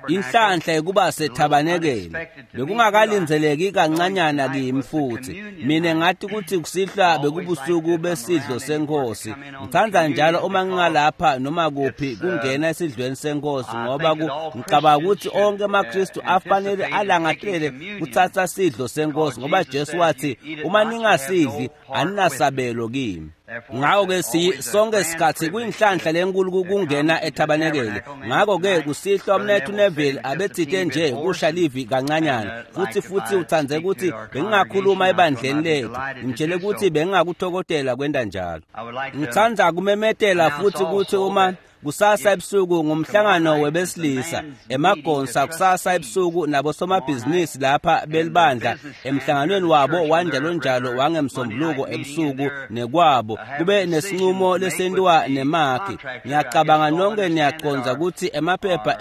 Inhlanhla yekuba sethabanekeli bekungakalindzeleki kancanyana kimi futhi mina ngathi ukuthi kusihlwa bekubusuku besidlo senkosi. Ngithanda njalo uma ngingalapha noma kuphi kungena esidlweni senkosi, ngoba ngicabanga ukuthi onke amaKristu afanele alangatele kuthatha sidlo senkosi, ngoba Jesu wathi uma ningasidli aninasabelo kimi. Ngakho-ke sonke sikhathi kuyinhlanhla lenkulu kungena ethabanekele. Ngakho-ke kusihlwa umnethu Neville abethite nje kusha livi kancanyana, futhi uthanze ukuthi bengingakhuluma ebandleni lethu. Ngimtshele ukuthi bengingakuthokotela kwenta njalo. Ngithanda kumemetela futhi ukuthi uma kusasa ebusuku ngumhlangano webesilisa emagonsa kusasa ebusuku nabosomabhizinisi lapha belibandla emhlanganweni wabo wanjalo njalo wangemsombuluko ebusuku nekwabo kube nesinqumo lesentiwa nemakhi. Ngiyacabanga nonke niyaqonza ukuthi emaphepha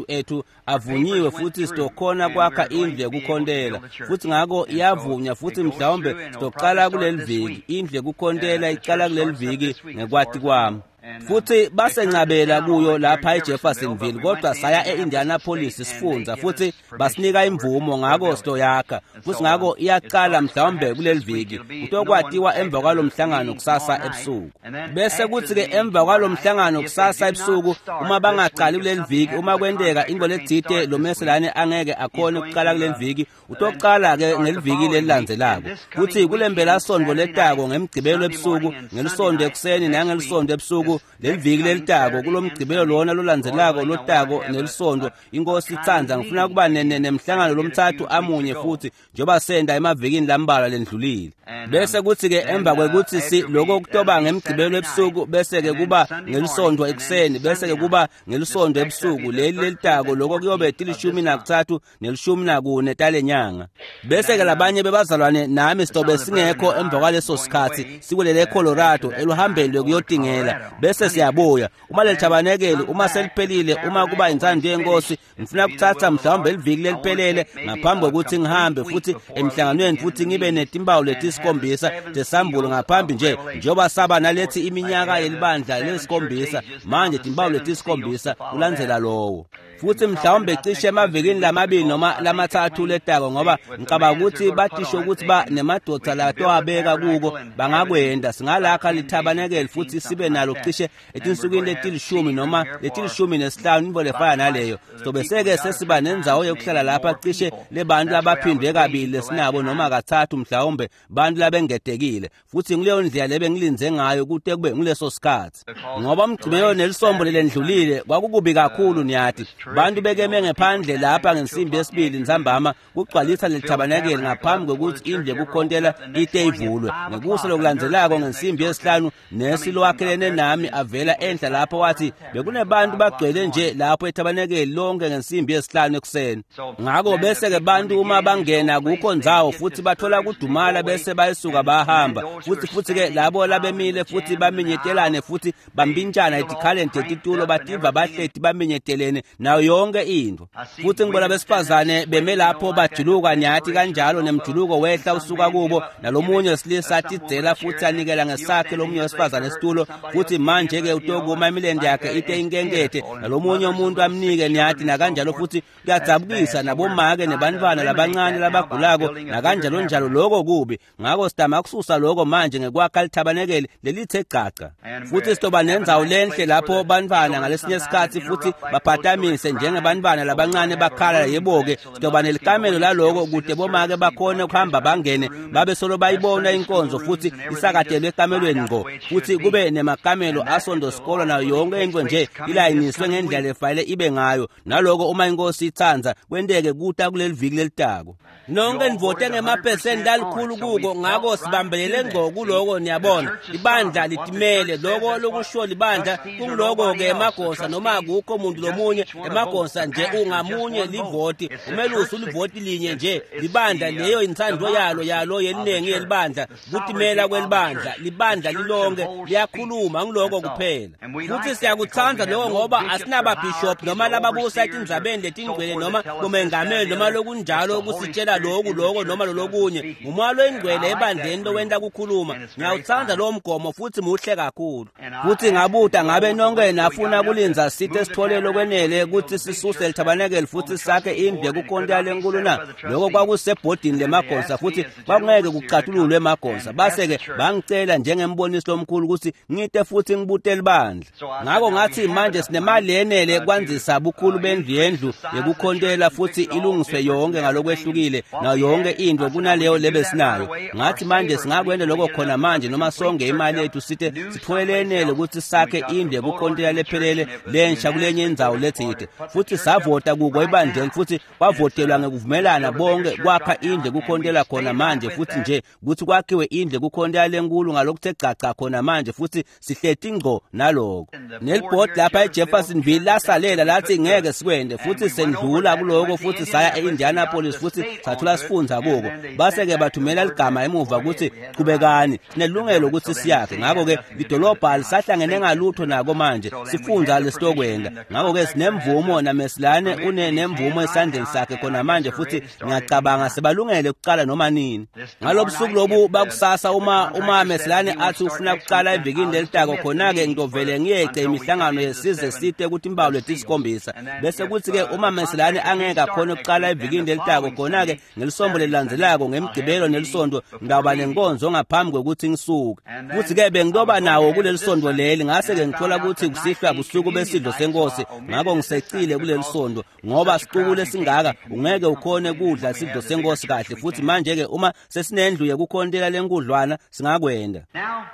ethu avunyiwe futhi sitokhona kwakha indlu yekukhontela, futhi ngakho iyavunywa futhi mhlawumbe sitoqala kuleli viki. Indlu yekukhontela iqala kuleli viki ngekwati kwami. Futhi basencabela kuyo lapha eJeffersonville, kodwa saya eIndianapolis sifundza futhi basinika imvumo, ngakho sitoyakha futhi ngakho iyaqala mhlawumbe kuleli viki. Kutokwatiwa emva kwalomhlangano kusasa ebusuku. Bese kuthi-ke emva kwalomhlangano kusasa ebusuku, uma bangaqali kuleli viki, uma kwenteka into letsite lo meselane angeke akhone ukuqala kuleli viki, utoqala-ke ngeliviki lelilandzelako. Futhi kulempelasonto letako ngemgcibelo ebusuku, ngelisonto ekuseni nangelisonto ebusuku, leliviki lelitako kulomgcibelo lona lolandzelako lotako nelisonto, inkosi itsandza ngifuna kuba nemhlangano lomthathu amunye futhi njengoba senda emavikini lambalwa lendlulile. Bese kuthi-ke emva kwekuthi lokho kutoba ngemgcibelo ebusuku, bese-ke kuba ngelisonto ekuseni, bese-ke kuba ngelisonto ebusuku leli lelitako, lokho kuyobe 13 ne-14 talenyanga. Bese-ke labanye bebazalwane nami sitobe singekho emva kwaleso sikhathi sikwelele eColorado eluhambeni lwekuyotingela, bese siyabuya. Uma lelithabanekeli uma seliphelile, uma kuba intsando yenkosi, ngifuna kuthatha mhlawumbe eliviki leliphelele ngaphambi kokuthi ngihambe futhi emhlanganweni futhi ngibe netimpawu letisikhombisa tesambulo ngaphambi nje njengoba saba nalethi iminyaka yelibandla lesikhombisa, manje timpawu letisikhombisa kulandzela lowo. Futhi mhlawumbe cishe emavikini lamabili noma lamathathu letako, ngoba ngicabanga ukuthi batisho ukuthi ba nemadoda latowabeka kuko bangakwenda. Singalakha lithabanekeli futhi sibe nalo cishe etinsukwini letilishumi noma letilishumi-nesihlanu, into lefana naleyo. Sobeseke sesiba nendzawo yokuhlala lapha cishe lebantu abaphindwe kabili lesinabo noma kathathu mhlawumbe bantu labengetekile. Futhi ngileyo ndlela lebengilindze ngayo kute kube nguleso sikhathi, ngoba umgcibelo nelisombo lelendlulile kwakukubi kakhulu. Niyathi bantu bekeme ngephandle lapha ngensimbi yesibili ntsambama kugcwalisa lelithabanekeli ngaphambi kokuthi indlu yekukhontela ite ivulwe. Ngekusa lokulandzelako ngensimbi yesihlanu nesi lowakhelene nami avela enhla lapho wathi bekunebantu bagcwele nje lapho ethabanekeli lonke ngensimbi yesihlanu ekuseni. Ngakho bese-ke bantu uma bangena kukho ndzawo futhi bathola kudumala bese bayisuka bahamba. Futhi-ke labo labemile futhi baminyetelane futhi bambintshana etikhaleni tetitulo bativa bahleti baminyetelene nayo yonke into. Futhi ngibona besifazane beme lapho bajuluka nyathi kanjalo nemjuluko wehla usuka kubo, nalomunye wesilisa atidzela futhi anikela ngesakhe lomunye wesifazane esitulo, futhi manje-ke utokuma imilente yakhe ite inkenkethe nalomunye umuntu amnike nyathi nakanjalo. Futhi kuyadzabukisa nabomake nebantwana labancane labagulako nakanjalo njalo, lokho kubi. Ngakho sidama kususa lokho manje ngekwakha lithabanekeli lelithe gcaca. Futhi sitoba nendzawo lenhle lapho bantwana ngalesinye isikhathi futhi baphatamise njengebantwana labancane bakhala. Yebo-ke sitoba nelikamelo laloko kude bomake bakhone ukuhamba bangene babe solo bayibona inkonzo futhi isakatelwe ekamelweni ngqo, futhi kube nemakamelo asondo sikolo nayo yonke into nje ilayiniswe ngendlela lefanele ibe ngayo. Naloko uma inkosi itsandza kwenteke kuta kuleli viki lelitako. Nonke nivote ngemaphesenti alikhulu kuko, ngakho sibambelele ngqo kuloko. Niyabona ibandla litimele loko lokusho libandla kungiloko-ke emagosa noma akukho muntu lomunye emagosa nje ungamunye livoti umelusi ulivoti linye nje libandla leyo intsandvo yalo yeningi yelibandla kutimela kwelibandla libandla lilonke liyakhuluma ngiloko. Nguloko kuphela. Futhi siyakutsandza lokho ngoba asinababhishophu noma lababusa etindzabeni letingcwele noma bomengameli noma lokunjalo kusitshela loku loko noma lolokunye. Ngumoya loyingcwele ebandleni lowenta kukhuluma. Ngiyawutsandza lowo mgomo futhi muhle kakhulu. Futhi ngabuta ngabe nonke nafuna kulindza site sithole lokwenele ukuthi sisuse lithabanekele futhi sakhe indlu yekukhontela lenkulu na? Lokho kwakusebhodini lemagonsa futhi kwakungeke kucatululwe emagonsa. Base-ke bangicela njengembonisi lomkhulu ukuthi ngite futhi ngibute libandla. Ngakho ngathi manje sinemali yenele kwandzisa bukhulu bendlu yendlu yekukhontela futhi ilungiswe yonke ngalokwehlukile nayo yonke into kunaleyo lebesinayo. Ngathi manje singakwenda lokho khona manje noma sonke imali yethu site sithole lenele ukuthi sakhe indlu yekukhontela lephelele lensha kulenye indzawo letsite. Futhi savota kuko ebandleni futhi kwavotelwa ngekuvumelana bonke kwakha indlu yekukhontela khona manje futhi nje ukuthi kwakhiwe indlu yekukhontela lenkulu ngalokuthe gcaca khona manje futhi sihleti ngqo naloko. Nelibhodi lapha eJeffersonville lasalela lathi ngeke sikwende futhi sendlula kuloko futhi saya e-Indianapolis futhi sathola sifundza kuko. Base-ke bathumela ligama emuva ukuthi qhubekani sinelungelo ukuthi siyakhe. Ngakho-ke lidolobha lisahlangene ngalutho nako manje sifundza lesitokwenda. Ngakho-ke sinemvumo namesilane unenemvumo esandleni sakhe khona manje futhi ngiyacabanga sebalungele ukuqala noma nini. Ngalobusuku lobu bakusasa uma mesilane athi ufuna ukuqala evikini lelitako khona-ke ngitovele ngiyece imihlangano yesize site ukuthi imbawu letisikhombisa. Bese kuthi-ke uma mesilane angeke akhone ukuqala evikini lelitako khona-ke ngelisonto lelilandzelako ngemgqibelo nelisonto ngitawuba nenkonzo ngaphambi kwekuthi ngisuke. Futhi-ke bengitoba nawo kuleli sonto leli ngase-ke ngithola ukuthi kusihlwa busuku besidlo senkosi ngakho ngisecile kuleli sonto ngoba sicuku lesingaka ungeke ukhone kudla isidlo senkosi kahle. Futhi manje-ke uma sesinendlu yekukhontela lenkudlwana singakwenda. Now,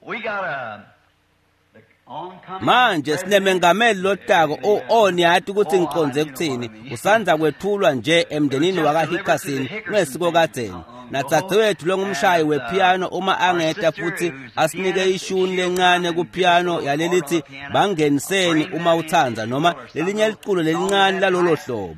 we got a Manje sinemengameli lotako oniyati ukuthi ngiqonze kuthini usandza kwethulwa nje emndenini wakaHickerson ngesiko kadzeni. Nadzadzewethu longumshayi wepiano uma angeta futhi asinike ishuni lencane kupiano yalelithi bangeniseni uma utsandza noma lelinye liculo lelincane lalolo hlobo.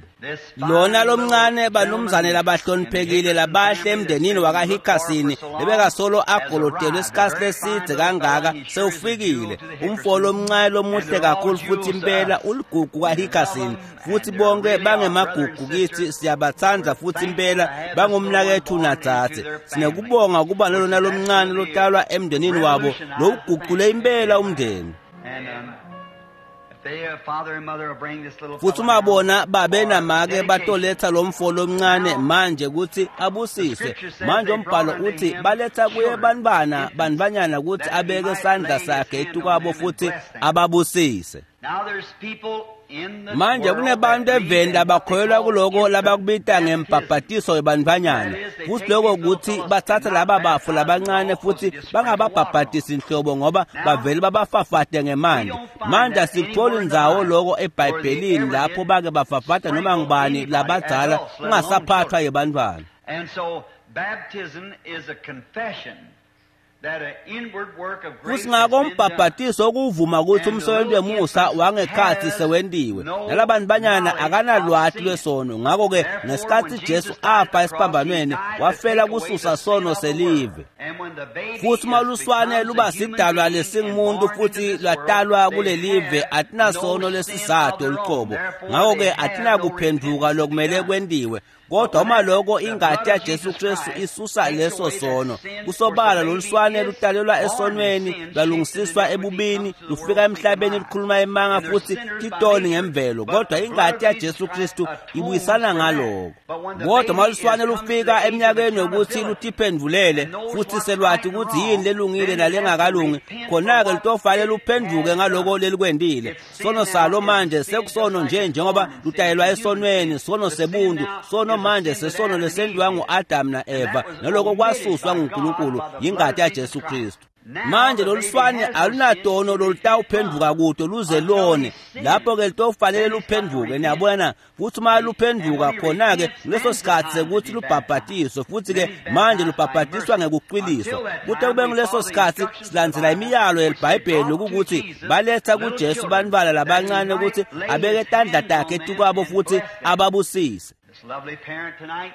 Lona lomncane banumzane labahloniphekile labahle emndenini wakaHickerson lebekasolo agolodelwe isikhathi lesidze kangaka sewufikile. Umfo lomncane lomuhle kakhulu futhi impela uligugu kaHickerson futhi bonke bangemagugu kithi siyabatsandza futhi impela bangumnakethu nadzadze. Sinekubonga kuba lolona lomncane lotalwa emndenini wabo lowuguqule impela umndeni. Futhi uma bona babe namake batoletha lo mfo lomncane manje ukuthi abusiswe. Manje umbhalo uthi baletha kuye bantwana bantwanyana ukuthi abeke isandla sakhe etukwabo futhi ababusise. Manje kunebantu eveni labakholelwa kuloko labakubita ngembhabhatiso webantfwanyana. Futhi lokho ukuthi bathatha laba bafo labancane futhi bangababhabhatisi inhlobo ngoba bavele babafafate ngemanti. Manje asikutholi ndzawo loko eBhayibhelini lapho bake bafafata noma ngubani labadzala kungasaphathwa yebantfwana. And so baptism is a confession that an inward work of grace Futhi ngako has been done. umbhabhatiso ukuvuma ukuthi umsebenzi wemusa wangekhathi sewentiwe. Nalabantu banyana akanalwati lwesono. Ngakho-ke ngesikhathi Jesu afa esiphambanweni wafela kususa sono selive. Futhi uma luswane luba sidalwa lesingumuntu futhi lwatalwa kulelive atinasono lesisado luqobo. Ngakho-ke atinakuphenduka lokumele kwentiwe. Kodwa uma lokho ingati yaJesu Kristu isusa leso sono, kusobala loluswane lutalelwa esonweni, lwalungisiswa ebubini, lufika emhlabeni lukhuluma emanga futhi titoni ngemvelo. Kodwa ingati yaJesu Kristu ibuyisana ngaloko. Kodwa uma luswane lufika eminyakeni yokuthi lutiphendvulele futhi selwati ukuthi yini lelungile nalengakalungi, khona-ke lutofanele luphenduke ngaloko lelikwentile. Sono salo manje sekusono nje njengoba lutalelwa esonweni, sono sebuntu, sono manje sesono lesentiwa ngu-Adamu na-Eva, naloko kwasuswa nguNkulunkulu yingati yaJesu Kristu. Manje loluswane alunatono lolutawuphenduka kuto luze lone. Lapho-ke litofanele luphenduke, niyabona na? Futhi uma luphenduka khona-ke kuleso sikhathi sekuthi lubhabhatiswe. Futhi-ke manje lubhabhatiswa ngekucwiliswa. Kute kube nguleso sikhathi silandzela imiyalo yeliBhayibheli lokukuthi baletha kuJesu bantfwana labancane ukuthi abeke tandla takhe etukwabo futhi ababusise. This lovely parent tonight.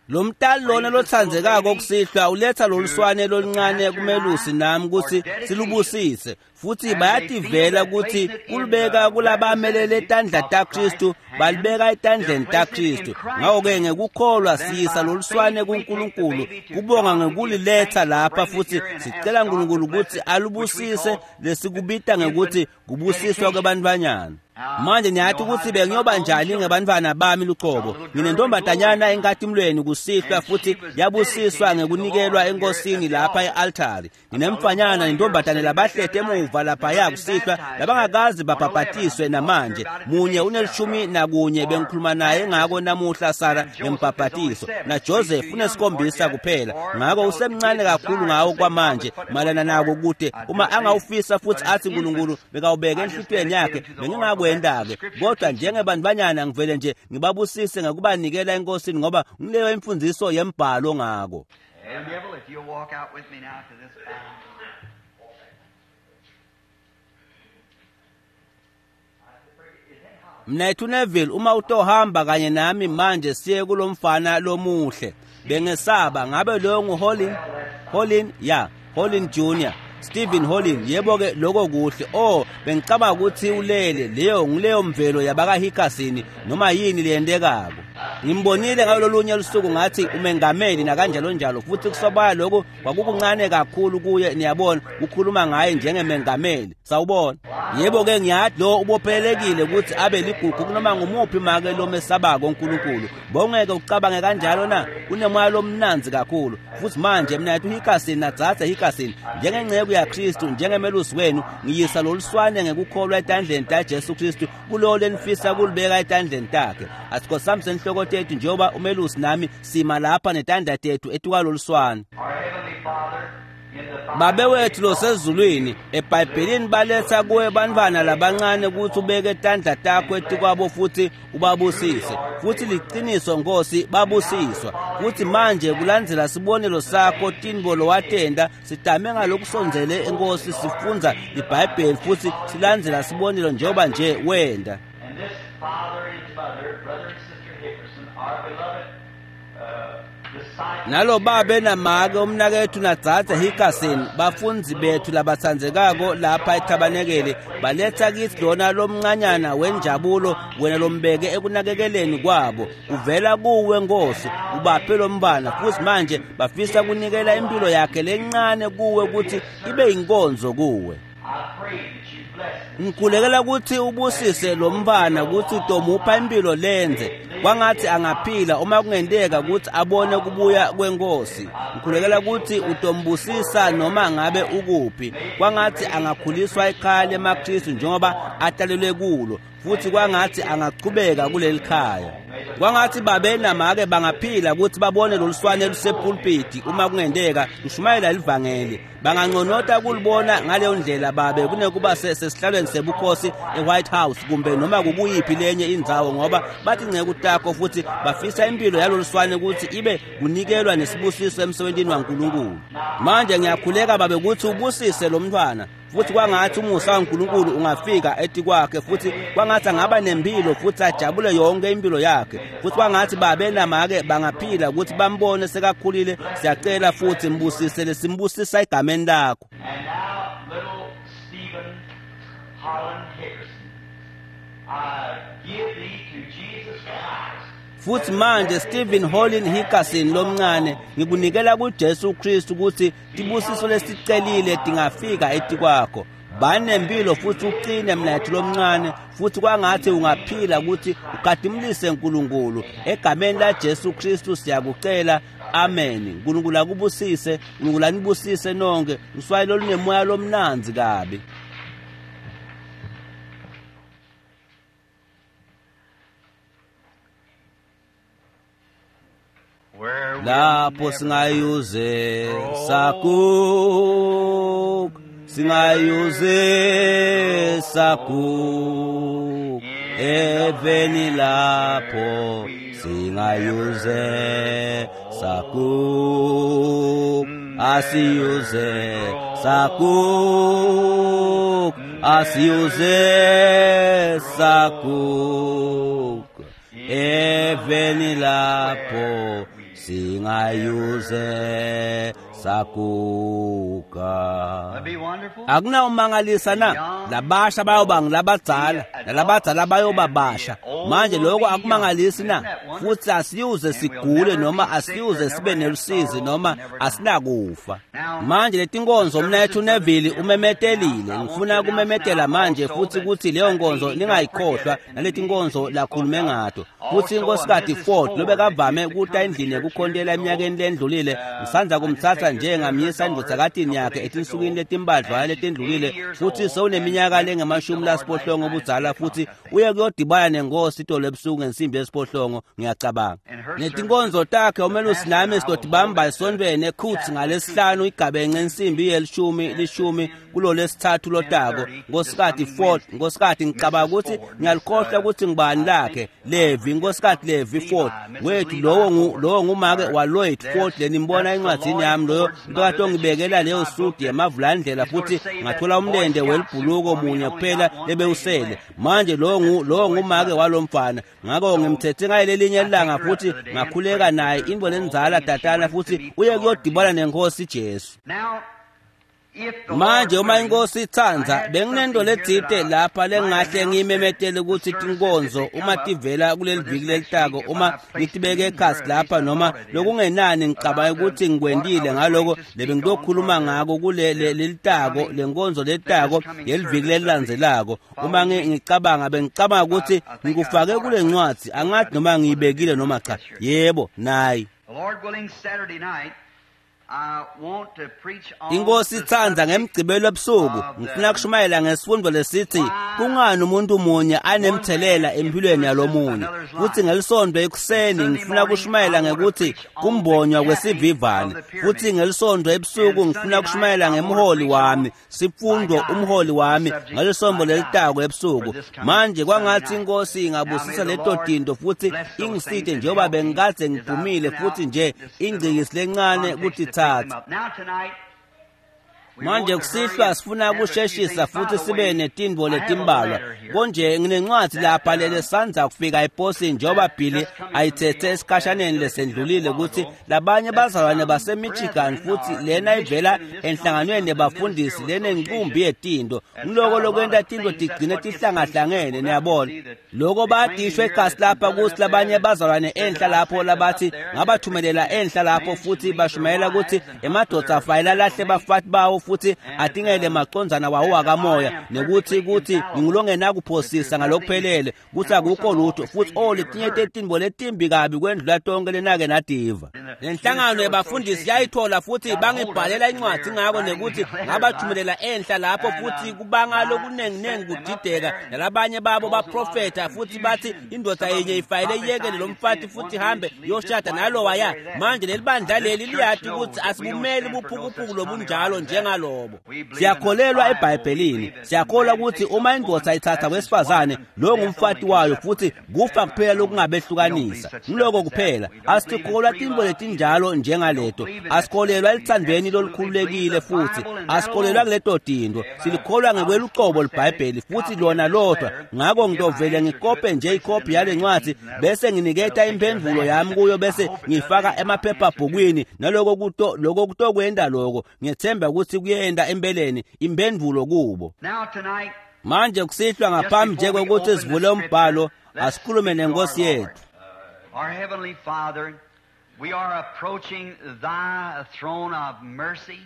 Lo mtali lona lotsandzekako kusihlwa uletha loluswane loluncane kumelusi nami kutsi silubusise, futhi bayativela ukuthi kulubeka kulabamelele tandla taKristu, balibeka etandleni taKristu. Ngakho-ke ngekukholwa siyisa loluswane kuNkulunkulu, kubonga ngekuliletha lapha, futhi sicela uNkulunkulu ukuthi alubusise lesikubita ngekuthi kubusiswa kwebantfwanyana. Manje niyathi ukuthi bengiyoba njani ngebantfwana bami luqobo. Nginentombazanyana enkatimulweni kusihlwa, futhi yabusiswa ngekunikelwa enkosini lapha e-altari. Nginemfanyana nentombazane labahlete emuva laphaya kusihlwa labangakazi babhabhatiswe namanje. Munye unelishumi nakunye, bengikhuluma naye ngako namuhla Sara ngembhabhatiso, naJoseph unesikhombisa kuphela. Ngako usemncane kakhulu ngawo kwamanje malana nako kude uma angawufisa futhi athi uNkulunkulu bekawubeke enhlitiyweni yakhe, bengingakwenda-ke. Kodwa njengebantfwanyana ngivele nje ngibabusise ngekubanikela enkosini, ngoba ngileyo imfundiso yembhalo ngako. And Neville, if you'll walk out with me now to this aisle. Mnethu Neville, uma utohamba kanye nami manje siye kulomfana lomuhle. Bengesaba ngabe loyo nguHolin? Holin, ya, Holin Jr. Stephen Holin, yebo-ke lokho kuhle. Oh, bengicabanga ukuthi ulele. Leyo ngileyo mvelo yabakaHikasini noma yini leyentekako. Ngimbonile ngalolunye lusuku ngathi umengameli nakanjalo njalo, futhi kusobala lokho kwakukuncane kakhulu kuye, niyabona, ukhuluma ngaye njengemengameli. Sawubona. Yebo-ke ngiyathi lo ubophelekile ukuthi abe ligugu kunoma ngumuphi make lomesabako uNkulunkulu. Bongeke ucabange kanjalo na? Unemoya lomnanzi kakhulu. Futhi manje mina yathi uHikasini nadzadze Hikasini, njengenceku yaKristu, njengemelusi wenu, ngiyisa loluswane ngekukholwa etandleni taJesu Kristu kulowo lenifisa kulibeka etandleni takhe. Asikho senhloko tethu njengoba umelusi nami sima lapha netandla tethu etukwaloluswane. Our Heavenly Father, in the Babe wethu losezulwini, eBhayibhelini baletha kuwe bantfwana labancane ukuthi ubeke tandla takho etikwabo futhi ubabusise. Futhi liqiniso Nkosi, babusiswa. Futhi manje kulandzela sibonelo sakho tintfo lowatenta, sidame ngalokusondzele eNkosi, sifundza iBhayibheli futhi silandzela sibonelo njengoba nje wenta. And this father and mother, brother and sister Hickerson, our beloved disciples. Nalo babe namake umnakethu nadzadze Hickerson, bafundzi bethu labatsandzekako lapha ethabanekele, baletha kithi lona lomncanyana wenjabulo wena lombeke ekunakekeleni kwabo. Uvela kuwe Nkosi, ubaphe lombana, futhi manje bafisa kunikela impilo yakhe lencane kuwe ukuthi ibe yinkonzo kuwe. I pray that you bless them. Ngikhulekela ukuthi ubusise lo mfana ukuthi utomupha impilo lenze kwangathi angaphila uma kungenteka ukuthi abone kubuya kwenkosi. Ngikhulekela ukuthi utombusisa noma ngabe ukuphi, kwangathi angakhuliswa ekhaya lemaKristu njengoba atalelwe kulo, futhi kwangathi angachubeka kuleli khaya. Kwangathi babe namake bangaphila ukuthi babone loluswane lusepulpiti uma kungenteka lushumayela livangeli. Banganconota kulibona ngaleyo ndlela babe kunekuba sesihlalweni sebukhosi eWhite House kumbe noma kukuyiphi lenye indzawo, ngoba bathi nceku takho futhi bafisa impilo yaloluswane ukuthi ibe kunikelwa nesibusiso emsebentini waNkulunkulu. Manje ngiyakhuleka babe ukuthi ubusise lo mntwana, futhi kwangathi umusa waNkulunkulu ungafika etikwakhe, futhi kwangathi angaba nempilo futhi ajabule yonke impilo yakhe, futhi kwangathi babe namake bangaphila ukuthi bambone sekakhulile. Siyacela futhi mbusise lesimbusisa egameni lakho. And now, little Stephen Holland Hickerson, I give thee to Jesus Christ. Futhi manje Stephen Holland Hickerson lomncane, ngikunikela kuJesu Kristu ukuthi tibusiso lesicelile tingafika etikwakho. Banempilo futhi uqine mnethu lomncane, futhi kwangathi ungaphila ukuthi ukhadimulise uNkulunkulu. Egameni laJesu Kristu siyakucela, amen. uNkulunkulu akubusise, uNkulunkulu anibusise nonke. Uswayi lolunemoya lomnanzi kabi. Where we'll Lapho never singayuze sakuk, singayuze sakuk, eveni lapho singayuze sakuk, asiyuze sakuk, asiyuze sakuk, eveni lapho Singayuze saguga. That'd be wonderful. Akunawumangalisa na labasha bayoba ngilabadzala nalabadzala bayoba basha. Manje lokho akumangalisi na? Futhi asiyuze sigule noma asiyuze sibe nelusizi noma asinakufa. Manje letinkonzo mnethu Neville umemetelile. Ngifuna kumemetela manje futhi ukuthi leyo nkonzo ningayikhohlwa naletinkonzo lakhulume ngato. Futhi inkosikazi Ford lobekavame ukuta endlini yekukhontela eminyakeni lendlulile, ngisandza kumtsatsa nje ngamyisa endvodzakatini yakhe etinsukwini letimbadlwana letendlulile, futhi sewuneminyaka lengemashumi lasiphohlongo budzala, futhi uye kuyodibana nenkosi itolo ebusuku ngensimbi yesiphohlongo, ngiyacabanga. Netinkonzo takhe umelusi nami sidodibamba esontweni ekhutsi ngalesihlanu igabence insimbi yelishumi lishumi kulo lesithathu lotako. Nkosikati Ford, nkosikati, ngicabanga ukuthi ngiyalikhohlwa ukuthi ngibani lakhe, Levi, nkosikati Levi Ford wethu, lowo ngumake waLloyd Ford lenimbona encwadzini yami, loyo lobekade ongibekela leyo sudi yemavulandlela, futhi ngathola umlente welibhuluko munye kuphela lebewusele. Manje lowo ngumake walomfana, ngakho ngimthethe ngayelelinye ilanga futhi ngakhuleka naye, intfo lendzala tatana, futhi uye kuyodibana nenkosi Jesu. Now, if the Manje Lord uma willing, inkosi itsandza, I had benginento something here letsite that I lapha might lengahle announce ngiyimemetele that ukuthi the tinkonzo services that uma come up tivela kuleli for this viki next lelitako, week, if uma I placed ngitibeke it in ekhasi here, at lapha least I noma thought it is, lokungenani ngicabanga about ukuthi what I ngikwentile was ngaloko going to speak on lebengitokhuluma for the ngako kule lelitako, coming, lenkonzo that letako this coming yeliviki service of the lelilandzelako. Uma following week. ngicabanga, bengicabanga ukuthi I think I ngikufake thought I kule put it. ncwadzi, I angathi noma didn't put it. ngiyibekile noma cha. Yes, sure. Yebo, nayi. The Lord willing, Saturday night, I want to preach on Inkosi the itsandza, subject ngemgcibelo ebusuku of ngifuna the kushumayela ngesifundo lesithi why kungani umuntu munye one anemthelela man empilweni influences yalomunye. another's Futhi life. ngelisonto ekuseni Sunday ngifuna morning, kushumayela I want to ngekuthi preach on the kumbonywa capping of kwesivivane. the Futhi pyramid. ngelisonto ebusuku And ngifuna Sunday night, kushumayela I want to ngemholi preach wami, on my sifundo guide, umholi the wami, subject ngalisonto my guide lelitako for ebusuku. this coming Manje Sunday kwangathi night. inkosi Now may ingabusisa the leto Lord tinto futhi bless those things ingisite and njengoba help me bengikadze as I've ngiphumile been out futhi nje this little ingcikisi lencane context to pick them kutitsatsa. up. Now tonight, we Manje want to hurry kusihlwa and sifuna have a few kusheshisa things. By futhi the sibe way, netintfo I have a letimbalwa. letter here Konje nginencwadzi that lapha lelesandza kufika eposini njengoba that Billy just coming from ayitsetse Bill that esikhashaneni just received a lesendlulile while ukuthi ago labanye that bazalwane some baseMichigan brethren futhi are in lena ivela Michigan in this enhlanganweni conference of the yebafundisi Ministerial lenenkumbi Association yetinto. that's Ngiloko got a lot lokwenta of tintfo things. That's tigcine what gets things tihlangahlangene, tangled up. niyabona. See that Loko they claiming bayadishwa here ekhasi that some lapha brethren kutsi up there labanye that bazalwane said enhla that I lapho sent them up labathi there and they're ngabathumelela preaching enhla that lapho men should futhi leave their bashumayela ukuthi wives and hunt for emadvodza their afanele alahle spiritual mates bafati bawo futhi and that atingele macondzana wawo that I akamoya am nekuthi perfectly kuthi infallible, that ngingulongenakuphosisa there's nothing ngalokuphelele kuthi and of course akukho some lutho awful futhi things o you've ever letinye heard. tetintfo letimbi kabi kwendlula tonke lenake nativa. And the Lenhlangano Ministerial yebafundisi Association yayithola futhi got a hold of it bangibhalela and incwadzi they're ngako writing me nekuthi letters. I ngabathumelela enhla lapho and futhi kubanga I lokunenginengi sent them up kudideka there and nalabanye babo caused a lot of baprofetha futhi bathi confusion. indoda Some of yinye them ifayele iyekele prophesying lo and mfati saying futhi one man ihambe should leave this yoshada wife and go nalowaya. marry that. Manje leli bandla This leli church liyati knows ukuthi that we don't asibumeli stand for no such buphukuphuku commie lobunjalo right as that. njengalobo. We believe in the Siyakholelwa Bible. We eBhayibhelini, believe that when siyakholwa man ukuthi takes a uma woman, indoda ithatha that's his wife, wesifazane and lowo death only ngumfati can wayo futhi separate them. kufa That's right. kuphela We don't believe lokungabehlukanisa. such stuff Ngiloko as that. kuphela. We don't believe in Asikholwa free tintfo love either. letinjalo We don't njengaleto. believe in that stuff. Asikholelwa We elithandweni absolutely believe lolukhululekile the futhi Bible and that asikholelwa alone. kuleto tinto. Silikholwa I'll just ngekwelucobo forward send it, liBhayibheli futhi copy of lona this lodwa. letter, Ngakho and give my ngitovele answer to it ngikope and nje place it in ikhophi the yale ncwadzi magazines, and that'll bese nginiketa that'll take care of imphendvulo that. yami kuyo I bese hope it does ngifaka anyhow, answer to it. emaphephabhukwini naloko kuto lokho kutokwenda lokho. Ngiyethemba ukuthi kuyenda empeleni imphendvulo kubo. Now tonight, Manje kusihlwa just ngaphambi nje before we kokuthi open the sivule umbhalo scripture, let's asikhulume speak to our nenkosi Lord. yethu. Our Heavenly Father, we are approaching thy throne of mercy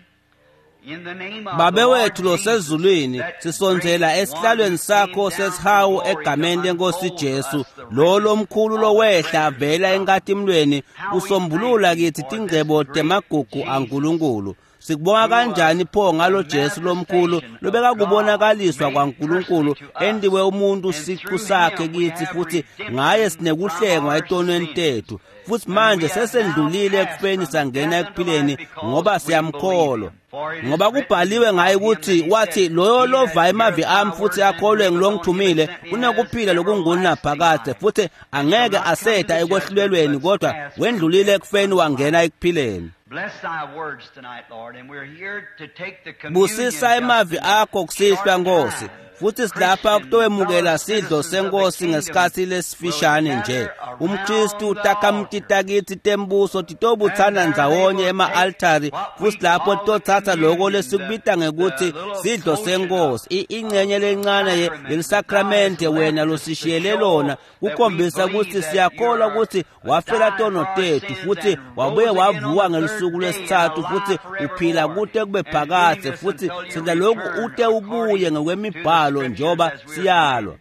in the name of the Babe Lord wethu Jesus, losezulwini, that great sisondzela one esihlalweni who came sakho down from sesihawu glory to egameni lenkosi unfold Jesu, us the lo riches lomkhulu of the lowehla treasures of vela God. enkatimlweni How we thank usombulula thee kithi for this tingcebo great temagugu Jesus, aNkulunkulu. Sikubonga who was kanjani pho the ngalo Jesu lomkhulu manifestation of God lobekakubonakaliswa made kwaNkulunkulu personally to us, endiwe umuntu and siqu through sakhe him we kithi have futhi ngaye redemption from sinekuhlengwa our etonweni sins. tethu. Futhi And we manje have now sesendlulile passed ekufeni from sangena death unto life ekuphileni ngoba because we believe siyamkholwa. him. For it is Ngoba written kubhaliwe ngaye of him that ukuthi he wathi said, loyo He that lova emavi heareth my ami futhi words and akholwe believeth on him that ngilongithumile sent me has unekuphila everlasting lokungunaphakade life, futhi and shall angeke not come to aseda the judgment, ekwehlulelweni but kodwa pass from wendlulile death ekufeni unto wangena life. ekuphileni. Bless thy words tonight, Lord, and we're here to take the communion Busisa just emavi in a akho kusihlwa short Nkosi, time. Futhi silapha kutowemukela sidlo senkosi ngesikhathi lesifishane nje. Umkristu takhamuti takithi tembuso titobutsana ndzawonye ema-altari, futhi lapho titothatha loko lesikubita ngekuthi sidlo senkosi, ingcenye lencane yelisakramente wena losishiyele lona, kukhombisa ukuthi siyakholwa ukuthi wafela tono tethu futhi wabuye wavuka ngelusuku lwesithathu futhi uphila kute kube phakadze, futhi senza lokhu ute ubuye ngokwemibhalo njengoba siyalwa.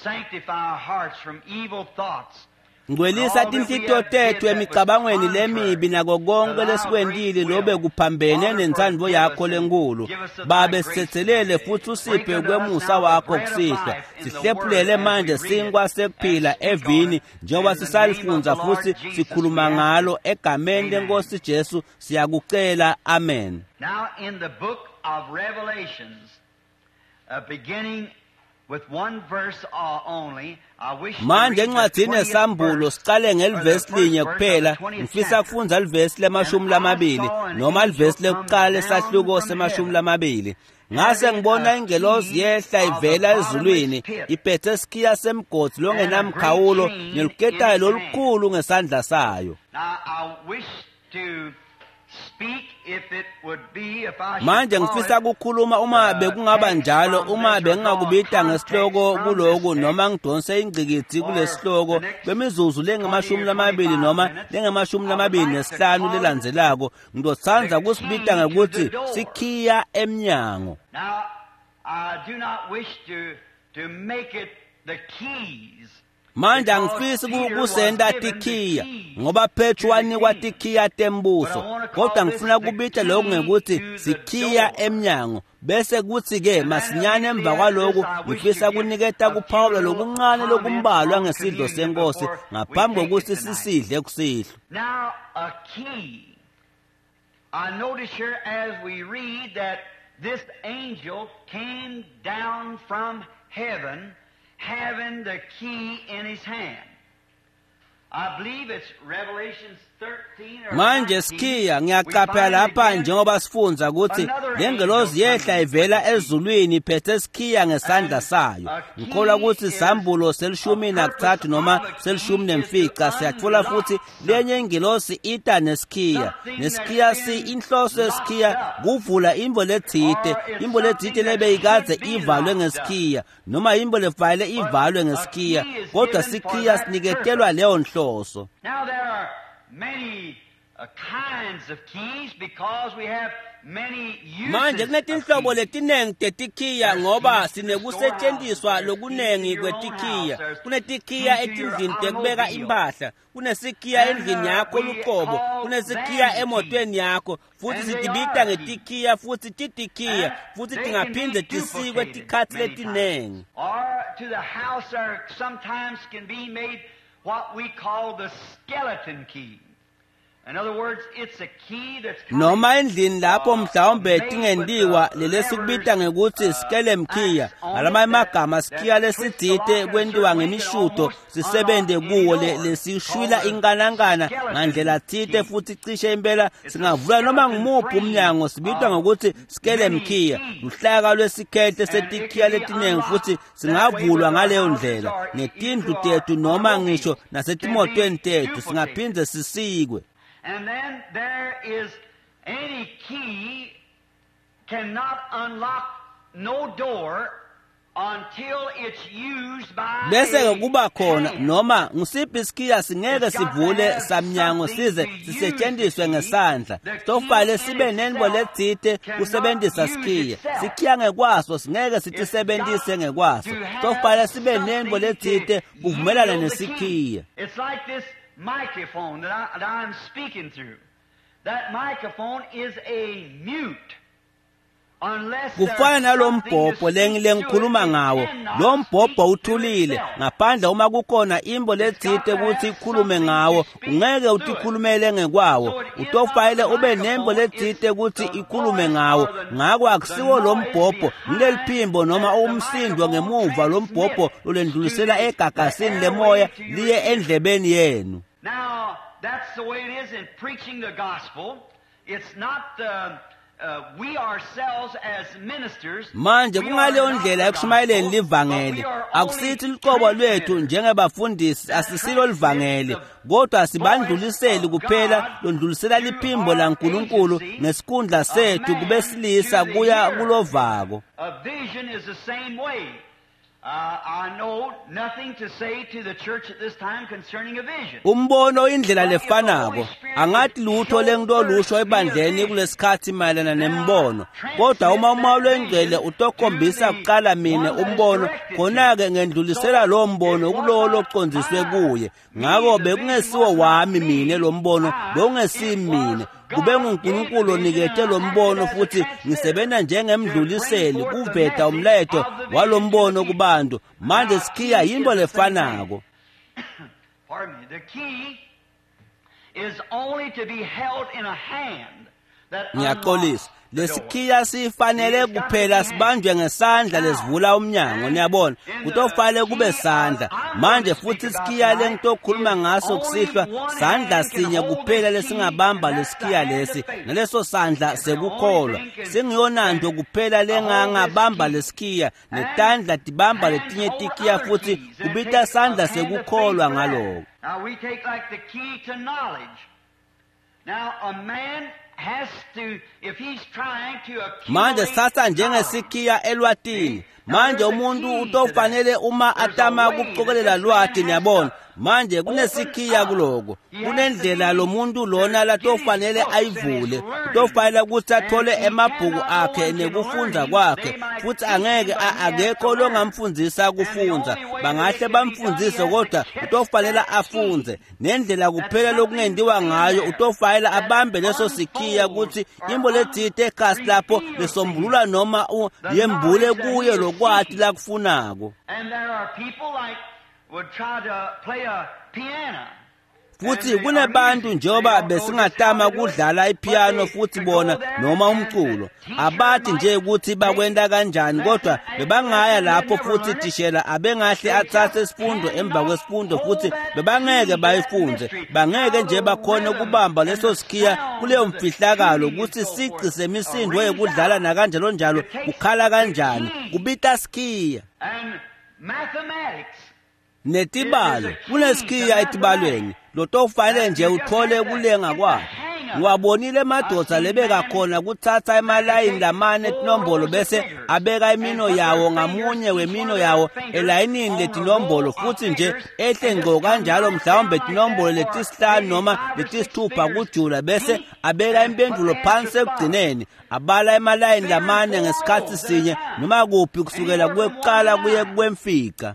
Sanctify our hearts from evil thoughts. Ngcwelisa tinhlitiyo tethu emicabangweni lemibi nako konke lesikwentile lobe kuphambene nentsandvo yakho lenkulu. Babe, sitsetselele futhi usiphe kwemusa wakho kusihlwa. Sihlephulele manje sinkwa sekuphila evini njengoba sisalifundza futhi sikhuluma ngalo egameni lenkosi Jesu siyakucela, amen. Now in the book of Revelations, beginning with one verse only, I wish to Manje read the encwadini 20th yesambulo verse, siqale or ngelivesi the linye first verse of kuphela. the 20th Ngifisa chapter. kufundza livesi lemashumi lamabili noma livesi lekuqala esahluko semashumi lamabili. Ngase ngibona ingelosi yehla ivela ezulwini iphethe isikhiya semgodi longenamkhawulo neluketayo lolukhulu ngesandla sayo. Now I wish to speak if it would be, if I should Manje call ngifisa it, ukukhuluma uma bekungaba njalo, uma bengingakubita ngesihloko kuloku noma ngidonse ingqikithi kulesihloko kwemizuzu lengamashumi lamabili noma lengamashumi lamabili nesihlanu lelandzelako, ngizotsandza kusibita ngekuthi sikhiya emnyango. Now, I do not wish to make it the keys. Manje angifisi kusenta tikhiya ngoba Petru wanikwa tikhiya tembuso, kodwa ngifuna kubita lokhu ngekuthi sikhiya emnyango. Bese kuthi-ke masinyane emva kwaloku ngifisa kuniketa kuphawula lokuncane lokumbalwa ngesidlo senkosi ngaphambi kokuthi sisidle kusihlwa. Now, a key. I notice here as we read that this angel came down from heaven having the key in his hand. I believe it's Revelations 13 or Manje 19. sikhiya We ngiyaqaphela find lapha again njengoba sifundza ukuthi lengelozi yehla ivela ezulwini iphethe sikhiya ngesandla sayo. Ngikholwa ukuthi sambulo selishumi nakuthathu noma selishumi nemfica siyatfola futhi lenye ingelosi ita nesikhiya. Nesikhiya si inhloso yesikhiya kuvula imbo letsite, imbo letsite lebeyikadze ivalwe ngesikhiya noma imbo levale ivalwe ngesikhiya, kodwa sikhiya siniketelwa leyo nhloso. Now there are many kinds of keys because we have many uses Manje of kunetinhlobo keys. letinengi tetikhiya ngoba sinekusetshenziswa lokunengi kwetikhiya. Kunetikhiya etindlini tekubeka impahla, kunesikhiya endlini yakho luqobo, kunesikhiya emotweni yakho, futhi sitibita ngetikhiya futhi titikhiya futhi They can be tingaphindze tisikwe duplicated tikhatsi many letinengi. times. Or to the house there sometimes can be made what we call the skeleton key. In other words, it's a key that's kind Noma endlini lapho mhlawumbe tingentiwa lelesikubita ngekuthi skelemkhiya, ngalamanye amagama sikhiya lesitsite kwentiwa ngemishudo sisebente kuwo lesishwila inkanankana ngandlela tsite futhi cishe impela singavula noma ngumuphi umnyango, sibitwa ngokuthi skelemkhiya, luhlaka lwesikhehle setikhiya letiningi futhi singavulwa ngaleyo ndlela ngetindlu tethu noma ngisho nasetimotweni tethu singaphindze sisikwe. And then there is any key cannot unlock no door until it's used by Bese a ke kuba khona hand. noma ngisiphi isikhiya singeke sivule samnyango size sisetshenziswe ngesandla. Sofale sibe nenbo letsite kusebenzisa sikhiya. Sikhiya ngekwaso singeke sitisebenzise ngekwaso. Sofale sibe nenbo letsite kuvumelana nesikhiya. It's like this microphone that I'm speaking through. That microphone is a mute. Unless there's Kufana nalo something to mbhobho speak to it, lengikhuluma it ngawo. cannot Lo mbhobho speak to uthulile itself. ngaphandle uma kukhona imbo letsite ukuthi ikhulume ngawo, ungeke utikhulumele ngekwawo. Utofayile ube nembo letsite ukuthi ikhulume ngawo. Ngako akusiwo lo mbhobho, ngileliphimbo noma umsindo ngemuva lo mbhobho lolendlulisela egagasini lemoya liye endlebeni yenu. Now, that's the way it is in preaching the gospel. It's not the Manje kungaleyo ndlela ekushumayeleni livangeli, akusithi luqobo lwethu njengebafundisi asisilo livangeli, kodwa sibandluliseli kuphela londlulisela liphimbo laNkulunkulu ngesikhundla sethu kubesilisa kuya kulovako. Umbono indlela lefanako. Angathi lutho lengitolusho ebandleni kulesikhathi mayelana nembono, kodwa uma uMoya loNgcwele utokhombisa kuqala mina umbono, khona-ke ngendlulisela lowo mbono kulowo locondziswe kuye. Ngako bekungesiwo wami mina lo mbono, bewungesimi mina, kube nguNkulunkulu onikete lo mbono, futhi ngisebenza njengemdluliseli kuveta umlayeto walombono kubantu. Manje sikhiya yinto lefanako. Ngiyaxolisa, lesikhiya sifanele kuphela sibanjwe ngesandla lesivula umnyango. Niyabona, kutofanele kube sandla. Manje futhi isikhiya lengitokhuluma ngaso kusihlwa, sandla sinye kuphela lesingabamba lesikhiya lesi, naleso sandla sekukholwa. Singiyonanto kuphela lengangabamba lesikhiya, netandla tibamba letinye tikhiya, futhi kubita sandla sekukholwa ngaloko. Now we take like the key to knowledge. Now a man Manje sithatha njengesikhiya elwatini. Manje umuntu utofanele uma atama kucokelela lwati, niyabona. Manje kunesikhiya kuloko, kunendlela lo muntu lona latofanele ayivule, utofanele ukuthi athole emabhuku akhe nekufundza kwakhe, futhi angeke akekho longamfundzisa kufundza, bangahle bamfundzise kodwa utofanele afundze. Nendlela kuphela lokungendiwa ngayo, utofanele abambe leso sikhiya ukuthi imbo letsite ekhasi lapho lesombulula noma yembule kuye lokwati lakufunako. And there are people like would try to play a piano. Futhi kunebantu njengoba besingatama kudlala ipiano futhi bona noma umculo, abathi nje ukuthi bakwenta kanjani, kodwa bebangaya lapho futhi thishela abengahle athathe isifundo emva kwesifundo, futhi bebangeke bayifunze, bangeke nje bakhone ukubamba leso sikhiya kuleyo mfihlakalo ukuthi sici semisindo yekudlala nakanjalo njalo kukhala kanjani, kubita sikhiya. And mathematics. Netibalo, kunesikhiya etibalweni lotofanele nje uthole kulenga kwakhe. Ngiwabonile emadvodza lebekakhona kuthatha emalayini lamane etinombolo bese abeka imino yawo ngamunye wemino yawo elayinini letinombolo, futhi nje ehle ngco kanjalo, mhlawumbe tinombolo letisihlanu noma letisithupha kujula, bese abeka impendulo phansi ekugcineni, abala emalayini lamane ngesikhathi sinye noma kuphi kusukela kwekuqala kuye kwemfica.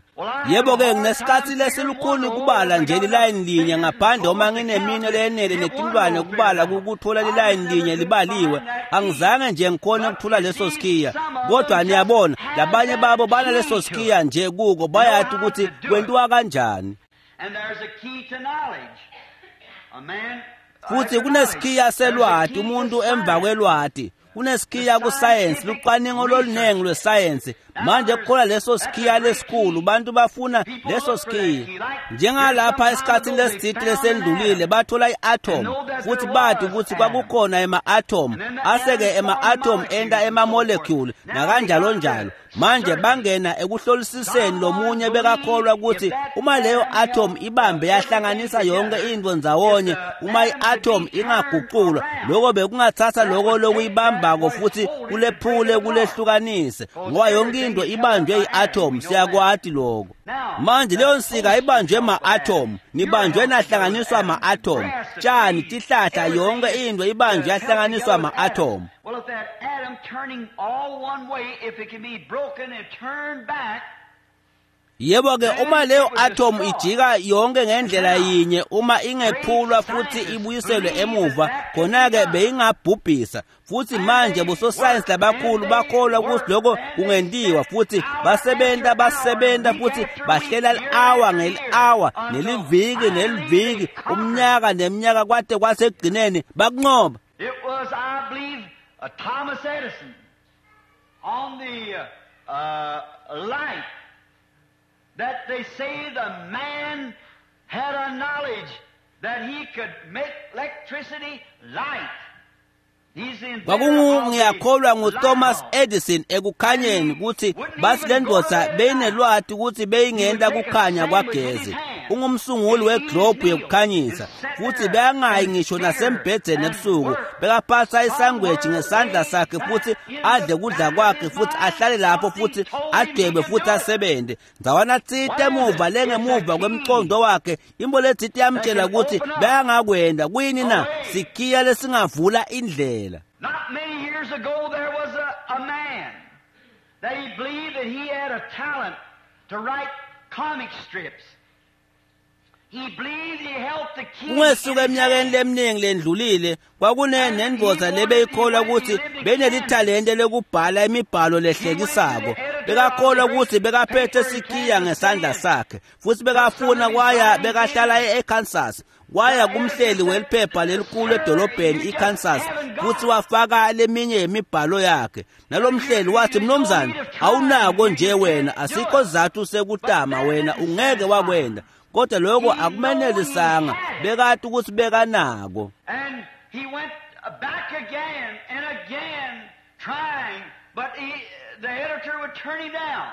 Yebo-ke, nginesikhathi lesilukhuni kubala nje lilayini linye ngaphandle uma nginemino leyenele netintwane kubala ukuthola lilayini linye libaliwe. Angizange nje ngikhone ukuthola leso sikhiya, kodwa niyabona labanye babo banaleso sikhiya nje kuko, bayathi ukuthi kwentiwa kanjani. And there's a key to knowledge. A man Futhi kunesikhiya selwati, umuntu emva kwelwati kunesikhiya kusayensi, lucwaningo loluningi lwesayensi. Manje kukhola leso sikhiya lesikhulu, bantu bafuna leso sikhiya. Njengalapha esikhathini lesitsite lesendlulile bathola i-atom, futhi bathi ukuthi kwakukhona ema-atom, aseke ema-atom enta ema-molecule nakanjalo njalo. Manje bangena ekuhlolisiseni lomunye bekakholwa ukuthi uma leyo atom ibambe yahlanganisa yonke into ndzawonye, uma i-atom ingaguqulwa, lokho bekungathatha lokho lokuyibambako futhi kulephule kulehlukanise, ngoba yonke into ibanjwe i-atom. Siyakwati lokho. Manje leyo nsika ibanjwe ma-atom, nibanjwe nahlanganiswa ma-atom, tshani, tihlahla, yonke into ibanjwe yahlanganiswa ma-atom. Well, if that atom turning all one way, if it can be broken and turned back, Yebo-ke, uma leyo atom ijika yonke ngendlela yinye, uma ingephulwa futhi ibuyiselwe emuva, khona-ke beyingabhubhisa. Futhi manje bososayensi labakhulu bakholwa ukuthi lokho kungentiwa, futhi basebenza futhi bahlela li-awa ngeli-awa, neliviki neliviki, umnyaka neminyaka, kwade kwasekugcineni bakunqoba. It was, I believe, Thomas Edison on the light that they say the man had a knowledge that he could make electricity light. Kwakungiyakholwa nguThomas Edison ekukhanyeni kutsi bathi le ndvodza beyinelwati kutsi beyingenta kukhanya kwagezi. Ungumsunguli weglobhu yekukhanyisa futsi bekangayi ngisho nasembhedzeni ebusuku. Bekaphatsa isangweji ngesandla sakhe futsi adle kudla kwakhe futsi ahlale lapho futsi adwebe futsi asebente. Ndzawana tsite emuva lengemuva kwemcondo wakhe imbo letsite yamtshela kutsi bekangakwenta. Kuyini na? Sikhiya lesingavula indlela. Not many years ago there was a man that he believed that he had a talent to write comic strips. Kungesuka eminyakeni leminingi lendlulile kwakunenendvodza lebeyikholwa kutsi benelithalente lekubhala imibhalo lehlekisako. Bekakholwa kutsi bekaphethe sikhiya ngesandla sakhe futsi bekafuna kwaya bekahlala eKansas. Waya kumhleli weliphepha lelikhulu edolobheni iKansas futsi wafaka leminye yemibhalo yakhe. Nalomhleli wathi, "Mnumzane, awunako nje wena, asikho sizatfu sekutama wena, ungeke wakwenda." Kodwa lokho akumenelisanga, bekati ukuthi bekanako. And he went back again and again trying, but the editor would turn him down.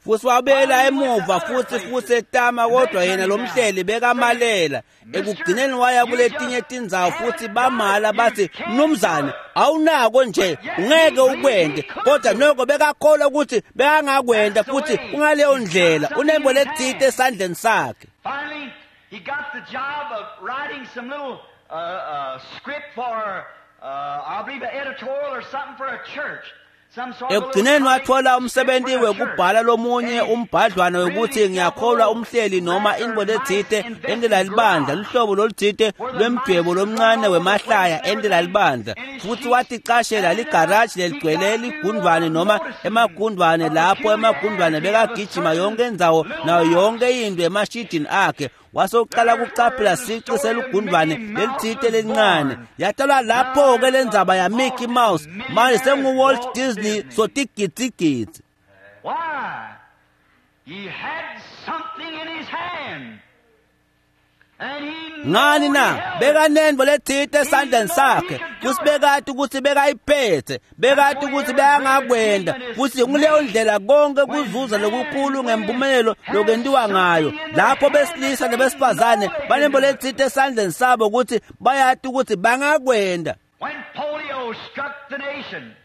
Futsi wabuyela emuva futsi etama, kodwa yena lomhleli bekamalela. Ekugcineni waya kuletinye tindzawo futsi bamala bathi, "Mnumzane, awunako nje, ungeke ukwente." Kodwa noko bekakholwa ukuthi bekangakwenta futsi kungaleyo ndlela unembo letsite esandleni sakhe. Finally, he got the job of writing some little script for, I believe, an editorial or something for a church. Ekugcineni wathola umsebenzi wekubhala lomunye umbhadlwana wekuthi ngiyakholwa umhleli noma intfo letsite entela libandla, luhlobo lolutsite lwemdwebo lomncane wemahlaya entela libandla. Futsi waticashela ligaraji leligcwele ligundvwane noma emagundvwane, lapho emagundvwane bekagijima yonke indzawo nayo yonke intfo emashidini akhe. Wasocala kucaphela sici selugundvwane lelitsite lelincane. Yatalwa lapho-ke lendzaba yaMickey Mouse, manje sengu-Walt Disney sotigidzigidzi. Why? He had something in his hand. Ngani na? Bekanentfo letsite esandleni sakhe futsi bekati kutsi bekayiphethe, bekati kutsi bekangakwenta. Futsi nguleyo ndlela konke kuzuza lokukhulu ngemphumelelo lokwentiwa ngayo, lapho besilisa nebesifazane banentfo letsite esandleni sabo kutsi bayati kutsi bangakwenta. When polio struck the nation,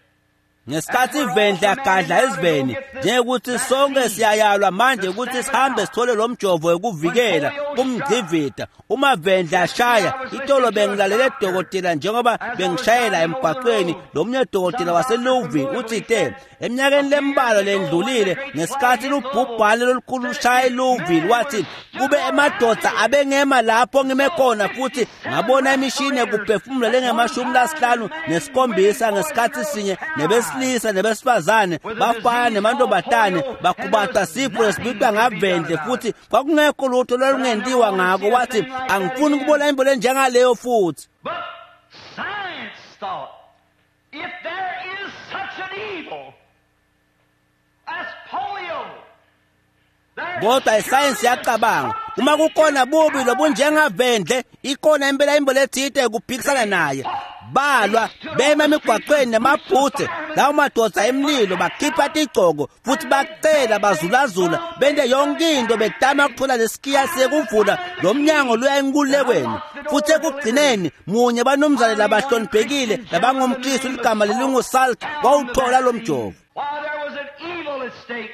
Ngesikhatsi ivendle yagadla eziveni, njengekuthi sonke siyayalwa manje ukuthi sihambe sithole lo mjovo wekuvikela kumgcivida. Uma vendle ashaya itolo, bengilalele dokotela njengoba bengishayela emgwaqweni. Lomunye dokotela waseLouisville utsite eminyakeni lembalwa lendlulile, ngesikhatsi lubhubhane lolukhulu lushaya eLouisville, wathi kube emadoda abengema lapho ngime khona futhi ngabona imishini yekuphefumula lengama-57 ngesikhatsi sinye, nebesilisa nebesifazane, bafana nemantombazane bakhubata sifo lesibitwa ngavendle, futhi kwakungekho lutho lolungentiwa ngako. Wathi, "Angifuni kubona intfo lenjengaleyo futhi." But science thought, if there is such an evil as polio, Kodwa isayensi yacabanga, uma kukhona bubi lobunjengavendle, ikhona impela intfo letsite yekuphikisana naye. Balwa bema emigwaqweni nemabhuthe lawo madoda emlilo, bakhipha tigcoko futhi bacela bazulazula bente yonke into betama ukuthola lesikiya sekuvula lo mnyango luya enkululekweni. Futhi ekugcineni munye banumzane labahloniphekile labangumKristu ligama lelinguSalk wawuthola lo mjovo. While there was an evil at stake,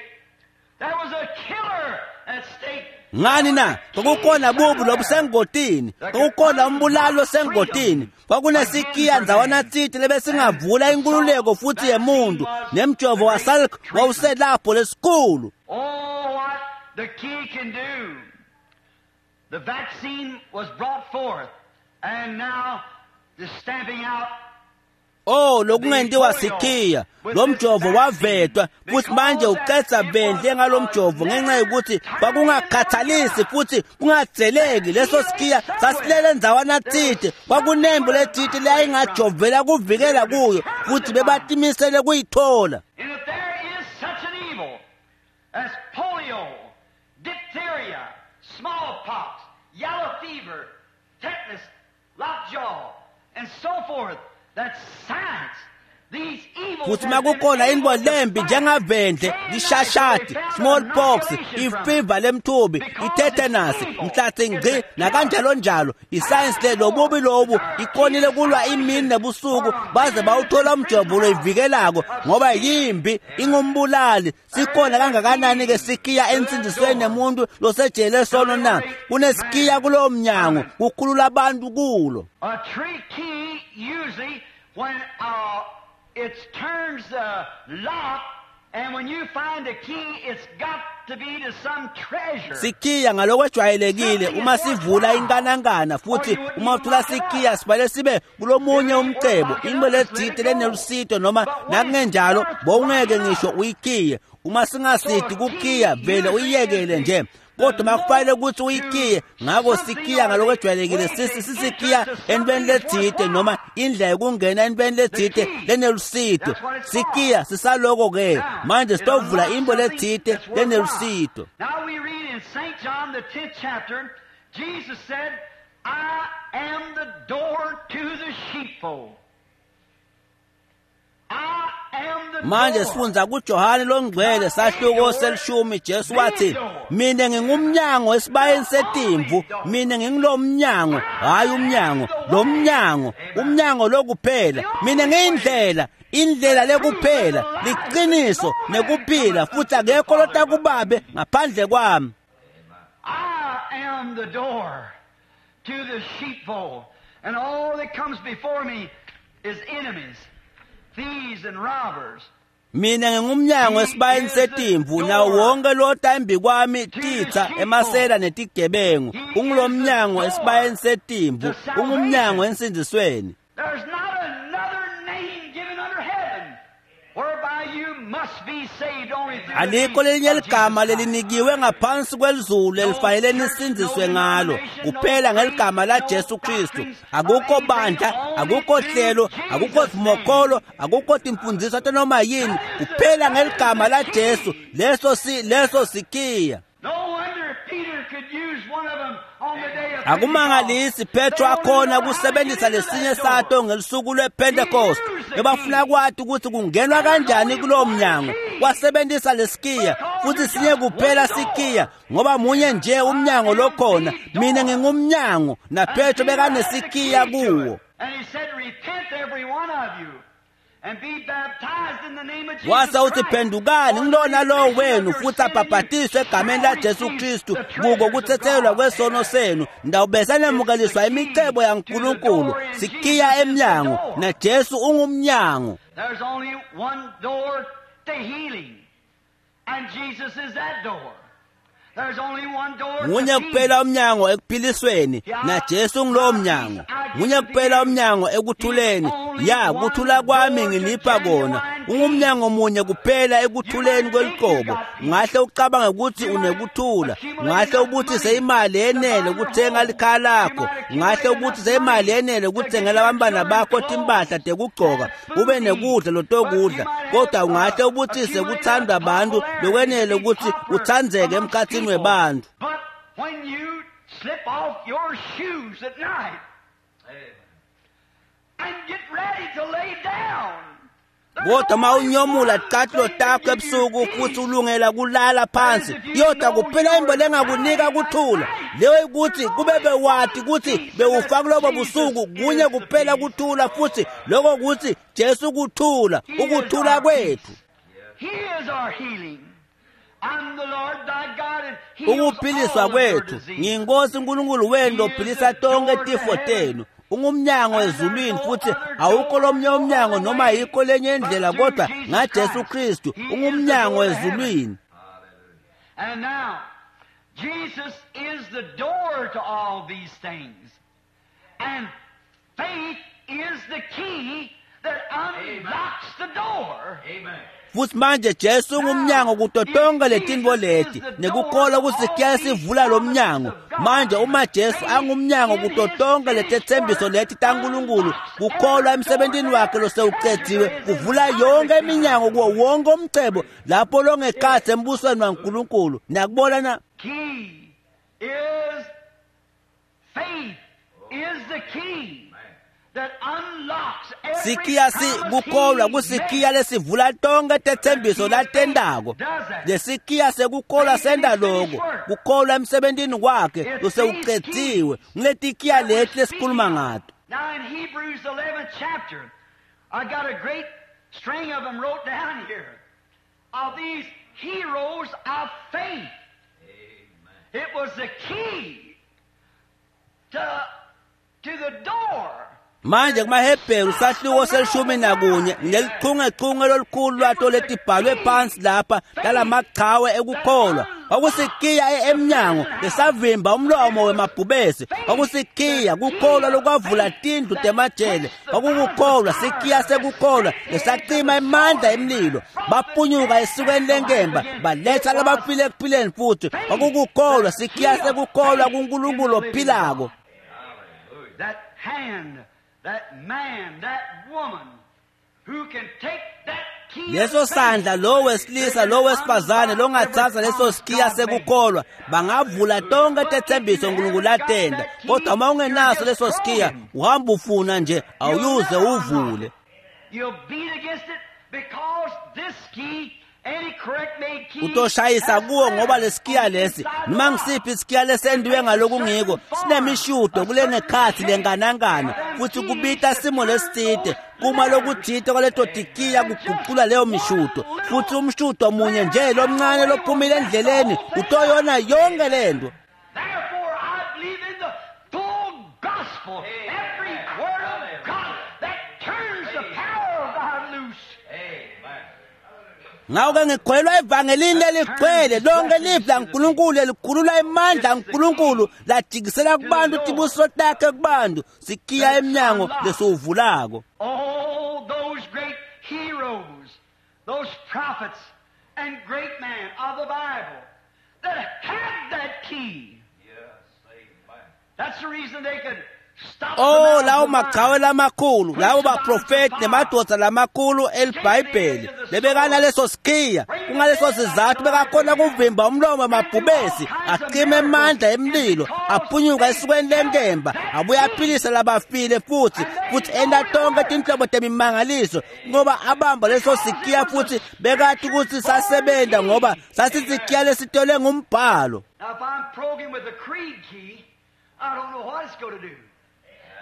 there was a killer at stake. Ngani na? Kwakukhona bubi lobusengotini, kwakukhona umbulali osengotini, kwakunesikiya ndzawana tsite lebesingavula inkululeko futhi yemuntu, nemjovo waSalk wawuselapho lesikhulu. Oh, what the key can do. The vaccine was brought forth, and now the stamping out. Oh, lokungentiwa sikhiya. Lo mjovo wavetwa futhi manje uqedza vendle ngalo mjovo ngenxa yokuthi kwakungakhathalisi futhi kungadzeleki. Leso sikhiya sasilele ndzawana tsite, kwakunembo letsite leyayingajovela kuvikela kuyo, futhi bebatimisele kuyithola. And if there is such an evil as polio, diphtheria, smallpox, yellow fever, tetanus, lockjaw, and so forth, Futhi makukhona into lembi njengavendle, lishashati, smallpox, ifiva lemthubi, itetanus, mhlatsi ngci nakanjalo njalo. Isayensi le lobubi lobu ikonile kulwa imini nebusuku baze bawuthola umjovo loyivikelako ngoba yimbi ingumbulali. Sikhona kangakanani ke sikiya ensindisweni nemuntu losejele sono na? Kunesikiya kulowo mnyango kukhulula abantu kulo. A tree key usually when it turns lock, and when you find a key, it's got to be to some treasure. Sikiya ngalokwejwayelekile uma sivula inkanankana futhi uma uthola sikiya sibale sibe kulomunye umcebo into letsite lenelusito noma nakungenjalo bowungeke ngisho uyikiye. Uma singasidi kukiya vele uyiyekele nje. Kodwa makufanele ukuthi uyikiye, ngakho sikiya ngalokwejwayelekile sisikiya entweni letsite noma indlela yokungena entweni letsite lenelusito. Sikiya sisaloko ke manje sitovula into letsite lenelusito. Now we read in St. John the 10th chapter, Jesus said, I am the door to the sheepfold. Manje sifundza kuJohane longcwele sahluko selishumi. Jesu wathi, mina ngingumnyango esibayeni setimvu, mina ngingilomnyango, hayi umnyango, lo mnyango, umnyango lokuphela. Mina ngiyindlela, indlela lekuphela, liqiniso nekuphila, futhi akekho lotakubabe ngaphandle kwami. I am the door to the sheepfold, and all that comes before me is enemies, thieves and robbers. Mina ngingumnyango esibayeni setimvu, nawo wonke lota embi kwami titsa, emasela netigebengu. Ungulomnyango esibayeni setimvu, ungumnyango ensindisweni. There's not another name given under heaven whereby you must be saved only through the Alikho name lelinye of Jesus ligama Christ. lelinikiwe ngaphansi kwelizulu elifanele nisindziswe ngalo kuphela ngeligama la Jesu Kristu. Akukho bandla, akukho hlelo, akukho sivumokholo, akukho timfundziso tanoma yini, kuphela ngeligama la Jesu. Leso sikiya. No wonder Peter could use one of them on the day of Akumangalisi Petro akhona kusebenzisa lesinye sato ngelusuku lwePentecost. Bebafuna kwati ukuthi kungenwa kanjani kulowo mnyango. Wasebenzisa lesikiya futhi sinye kuphela sikiya ngoba munye nje umnyango lokhona. Mina ngingumnyango na Petro bekanesikiya kuwo. And he said, repent every one of you and be baptized in the name of Jesus Wase uthi Christ. phendukani ngilona lowo wenu futhi abhabhatiswe egameni laJesu Kristu kuko kuthethelwa kwesono senu, ndawube nemukeliswa imicebo yaNkulunkulu. Sikiya emnyango na Jesu ungumnyango. There's only one door to healing, and Jesus is that door. There's only one door to Munye peace. kuphela umnyango ekuphilisweni na Jesu ngilowo mnyango. Munye kuphela umnyango ekuthuleni, ya kuthula kwami nginipha kona. Ungumnyango munye kuphela ekuthuleni kweliqobo. Ungahle ucabange ukuthi unekuthula, ungahle ubuthise imali yenele ukuthenga likhaya lakho, ungahle ubuthise imali yenele ukuthengela abantwana bakho timpahla tekugcoka, ube nekudla lotokudla, kodwa ungahle ubuthise ukuthandwa abantu lokwenele ukuthi uthandzeke emkhathini webantu. But when you slip off your shoes at night and get ready to lay down, there's Kodwa uma only unyomula one ticathulo thing takho to give you ebusuku peace. futhi ulungela kulala phansi, yodwa kuphela into lengakunika kuthula leyo ukuthi kube bewati ukuthi bewufa kulobo busuku kunye kuphela kuthula, futhi lokho kuthi Jesu kuthula, He is ukuthula our kwethu. peace. He is our healing. I'm the Lord thy God and heals Ukuphiliswa all of your kwethu, diseases. ngiyinkosi uNkulunkulu wenu lophilisa tonke tifo tenu. Ungumnyango ezulwini futhi awukho lomnye umnyango noma yikho lenye indlela kodwa ngaJesu Kristu ungumnyango ezulwini. And now, Jesus is the door to all these things. And faith is the key that unlocks the door. Amen. Futhi manje Jesu ungumnyango kuto tonke letintfo leti nekukholwa kusikiya sivula lo mnyango. Manje uma Jesu angumnyango kuto tonke letethembiso leti taNkulunkulu, kukholwa emsebentini wakhe losewucediwe kuvula yonke iminyango kuwo wonke umcebo lapho longekhatsi embusweni waNkulunkulu. Niyakubona na? Key is faith is the key Sikiya sikukholwa kusikiya lesivula tonke tetsembiso latendako. Lesikiya sekukholwa senta lokho, kukholwa emsebentini wakhe losewucediwe. Nguletikiya leti lesikhuluma ngato. Now in Hebrews 11th chapter, I got a great string of them wrote down here of these heroes of faith. It was the key to the door. Manje kumaHebheru sahluko se-11 ngelichungechunge lolukhulu lwato letibhalwe phansi lapha talamachawe ekukholwa. Kwakusikiya emnyango lesavimba umlomo wemabhubesi. Kwakusikiya kukholwa lokwavula tindlu temajele. Kwakukukholwa sikiya sekukholwa lesacima emandla emlilo. Bapunyuka esukweni lenkemba baletha labafile ekuphileni futhi. Kwakukukholwa sikiya sekukholwa kuNkulunkulu ophilako. That hand, that man, that woman who can take that key. Leso sandla lo wesilisa lo wesifazane longathatha leso sikiya sekukholwa bangavula tonke tetsembiso uNkulunkulu atenda, kodwa uma ungenaso leso sikiya uhamba ufuna nje awuyuze uvule. You'll beat against it because this key, any correct made key, utoshayisa kuwo ngoba lesikiya lesi noma ngisiphi isikiya lesendiwe ngalokungiko sinemishudo kule nekhathi lenganankana futhi kubita simo lesitsite kuma lokuthite kwaleto tikiya kuguqula leyo mishudo futhi umshudo munye nje lomncane lophumile endleleni utoyona yonke lento. Therefore, I believe in the full gospel, every word of God that turns the power of God loose. Ngakho-ke ngikholelwa evangelini leligcwele lonke livi laNkulunkulu lelikhulula emandla aNkulunkulu lajikisela kubantu tibusiso takhe kubantu sikiya emnyango lesiwuvulako. Oh, those great heroes, those prophets and great men of the Bible that had that key. That's the reason they could stop the Oh, mouth lawo of lions. machawe lamakhulu, lawo baprofeti nemadoda lamakhulu eliBhayibheli lebekanaleso sikiya. Kungaleso sizathu bekakhona kuvimba umlomo wamabhubesi, acime emandla emlilo, aphunyuka esukweni lenkemba, abuye aphilise labafile futhi futhi enta tonke tinhlobo temimangaliso ngoba abamba leso sikiya futhi bekati ukuthi sasebenta ngoba sasisikiya lesitolwe ngumbhalo. Now, if I'm programmed with a creed key, I don't know what it's going to do.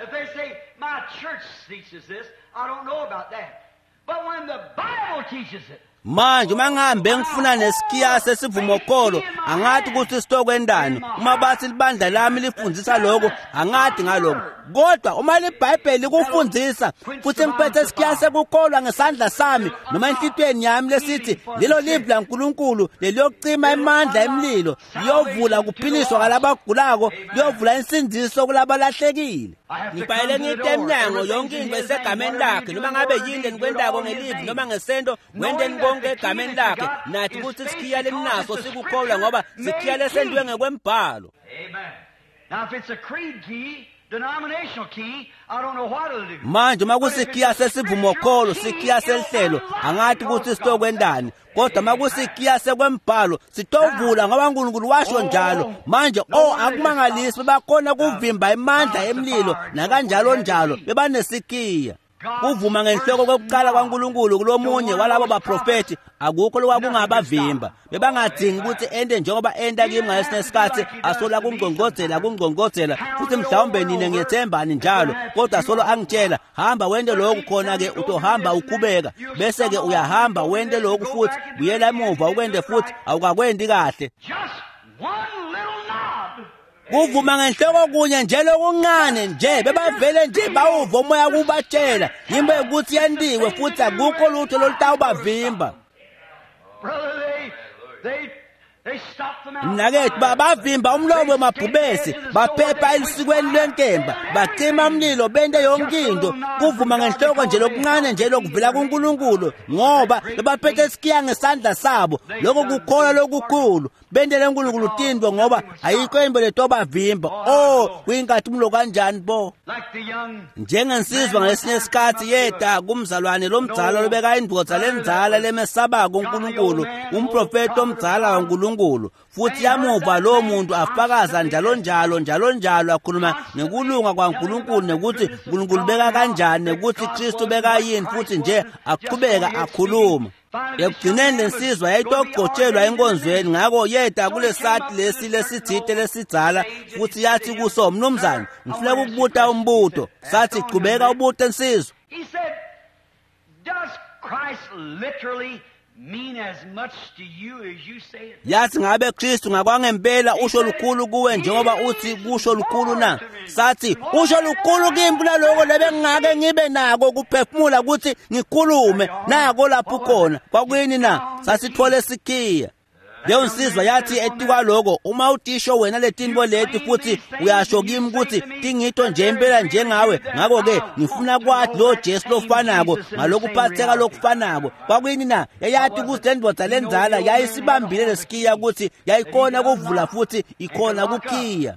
If they say, my church teaches this, I don't know about that. But when the Bible teaches it, Manje uma ngihambe ngifuna nesikiya sesivumokholo angathi ukuthi sitokwendani uma bathi libandla lami lifundzisa lokho angathi ngalokho, kodwa uma libhayibheli likufundzisa futhi ngiphethe isikiya sekukholwa ngesandla sami noma enhlitiyweni yami lesithi lelo livi laNkulunkulu leliyocima emandla emlilo liyovula kuphiliswa kwalabagulako liyovula insindziso kulabalahlekile. Ngibhayele ngite emnyango yonke into esegameni lakhe noma ngabe yini lenikwentako ngelivi noma ngesento wenteni konke egameni lakhe nathi ukuthi sikhiya leninaso sikukholwa ngoba sikhiya lesendiwe ngekwembhalo. Amen. Now, if it's a creed key, denominational key, I don't know what it'll do. Manje uma kusikhiya sesivumokholo sikhiya selihlelo angathi ukuthi sitokwendani, kodwa uma kusikhiya sekwembhalo sitovula ngoba uNkulunkulu washo njalo. Manje oh akumangalisi bebakhona kuvimba emandla emlilo nakanjalo njalo bebanesikhiya. Kuvuma ngenhloko kokuqala kwaNkulunkulu kulomunye walabo baprofeti akukho lokwakungabavimba. Bebangadingi ukuthi ente njengoba enta kimi ngalesinye isikhathi asola kungqongqodzela kungqongqodzela futhi mhlawumbe nine ngiyethembani njalo, kodwa solo angitshela hamba wente lokhu khona-ke utohamba ukhubeka bese-ke uyahamba wente lokhu futhi buyela emuva ukwente futhi awukakwendi kahle. Just one little nod. Kuvuma ngenhloko kunye nje lokuncane nje bebavele nje bawuva umoya kubatshela yimbe ukuthi yentiwe futhi akukho lutho lolutawubavimba. Brother, they stopped the mouth. Mnakethu bavimba umlomo wemabhubesi baphepha elusikweni lwenkemba bacima umlilo bente yonke into. Kuvuma ngenhloko nje lokuncane nje lokuvela kuNkulunkulu ngoba bebaphethe isikiya ngesandla sabo. Lokho kukholwa lokukhulu bentele uNkulunkulu tintfo ngoba ayikho into letobavimba. Oh kuyinkathi kanjani bo. Like the young Njengensizwa ngalesinye isikhathi yeda kumzalwane lomdzala lobeka indvodza lendzala lemesabako uNkulunkulu, umprofeti omdzala waNkulunkulu. kwaNkulunkulu. Futhi yamuva lowo muntu afakaza njalo njalo njalo njalo akhuluma ngekulunga kwaNkulunkulu nekuthi uNkulunkulu beka kanjani nekuthi Kristu beka yini, futhi nje aqhubeka akhuluma. Ekugcineni lensizwa yayitogcotshelwa enkonzweni, ngakho yeda kulesati lesi lesithite lesidzala futhi yathi kuso, mnumzane, ngifuna ukukubuta umbuto. Sathi, qhubeka ubute nsizwa. He said, does Christ literally mean as much to you as you say it? Yathi, ngabe Kristu ngakwangempela usho lukhulu kuwe njengoba uthi kusho lukhulu na? Sathi, usho lukhulu kimi kunaloko lebengingake ngibe nako kuphefumula ukuthi ngikhulume nako lapho khona. Kwakuyini na? Sasithole sikhiya. Leyo nsizwa yathi etikwaloko, uma utisho wena letinto leti futhi uyasho kimi ukuthi tingito nje impela njengawe, ngakho-ke ngifuna kwathi lo Jesu lofanako ngalokuphatheka lokufanako. Kwakuyini na? Yayathi ukuthi le ndvodza lenzala yayisibambile lesikiya ukuthi yayikhona kuvula futhi ikhona kukhiya.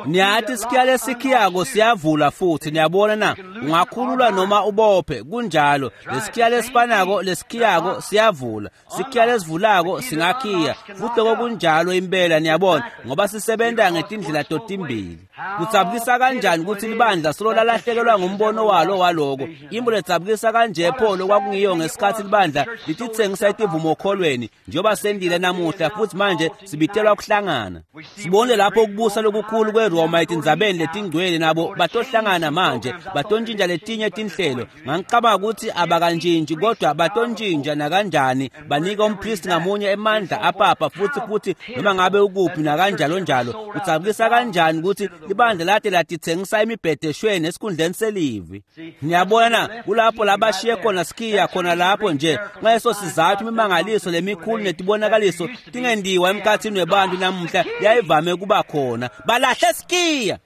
Niyathi isikiya lesikhiyako siyavula futhi, niyabona na? Ungakhulula noma ubophe, kunjalo. Lesikiya lesifanako lesikhiyako siyavula, sikiya lesivulako singakhiya. Futhi lokho kunjalo impela, niyabona, ngoba sisebenza ngetindlela totimbili. Kudzabukisa kanjani ukuthi libandla solo lalahlekelwa ngumbono walo waloko. Imbo ledzabukisa kanje pho lokwakungiyo ngesikhathi libandla lititsengisa etivumokhholweni njengoba sendile namuhla, futhi manje sibitelwa kuhlangana. Sibone lapho ukubusa lokukhulu kweRoma etindzabeni letingcwele, nabo batohlangana manje batontshintsha letinye tinhlelo. Ngangicabanga ukuthi abakantshintshi, kodwa batontshintsha nakanjani, banike umpristi ngamunye emandla apapa futhi noma ngabe ukuphi nakanjalo njalo. Kudzabukisa kanjani ukuthi libandla lade latitsengisa emibhedeshweni esikhundleni selivi. Niyabona na? Kulapho labashiye khona sikhiya khona lapho nje. Ngaleso sizathu imimangaliso lemikhulu netibonakaliso tingendiwa emkhathini webantu namuhla yayivame kuba khona. Balahle sikhiya.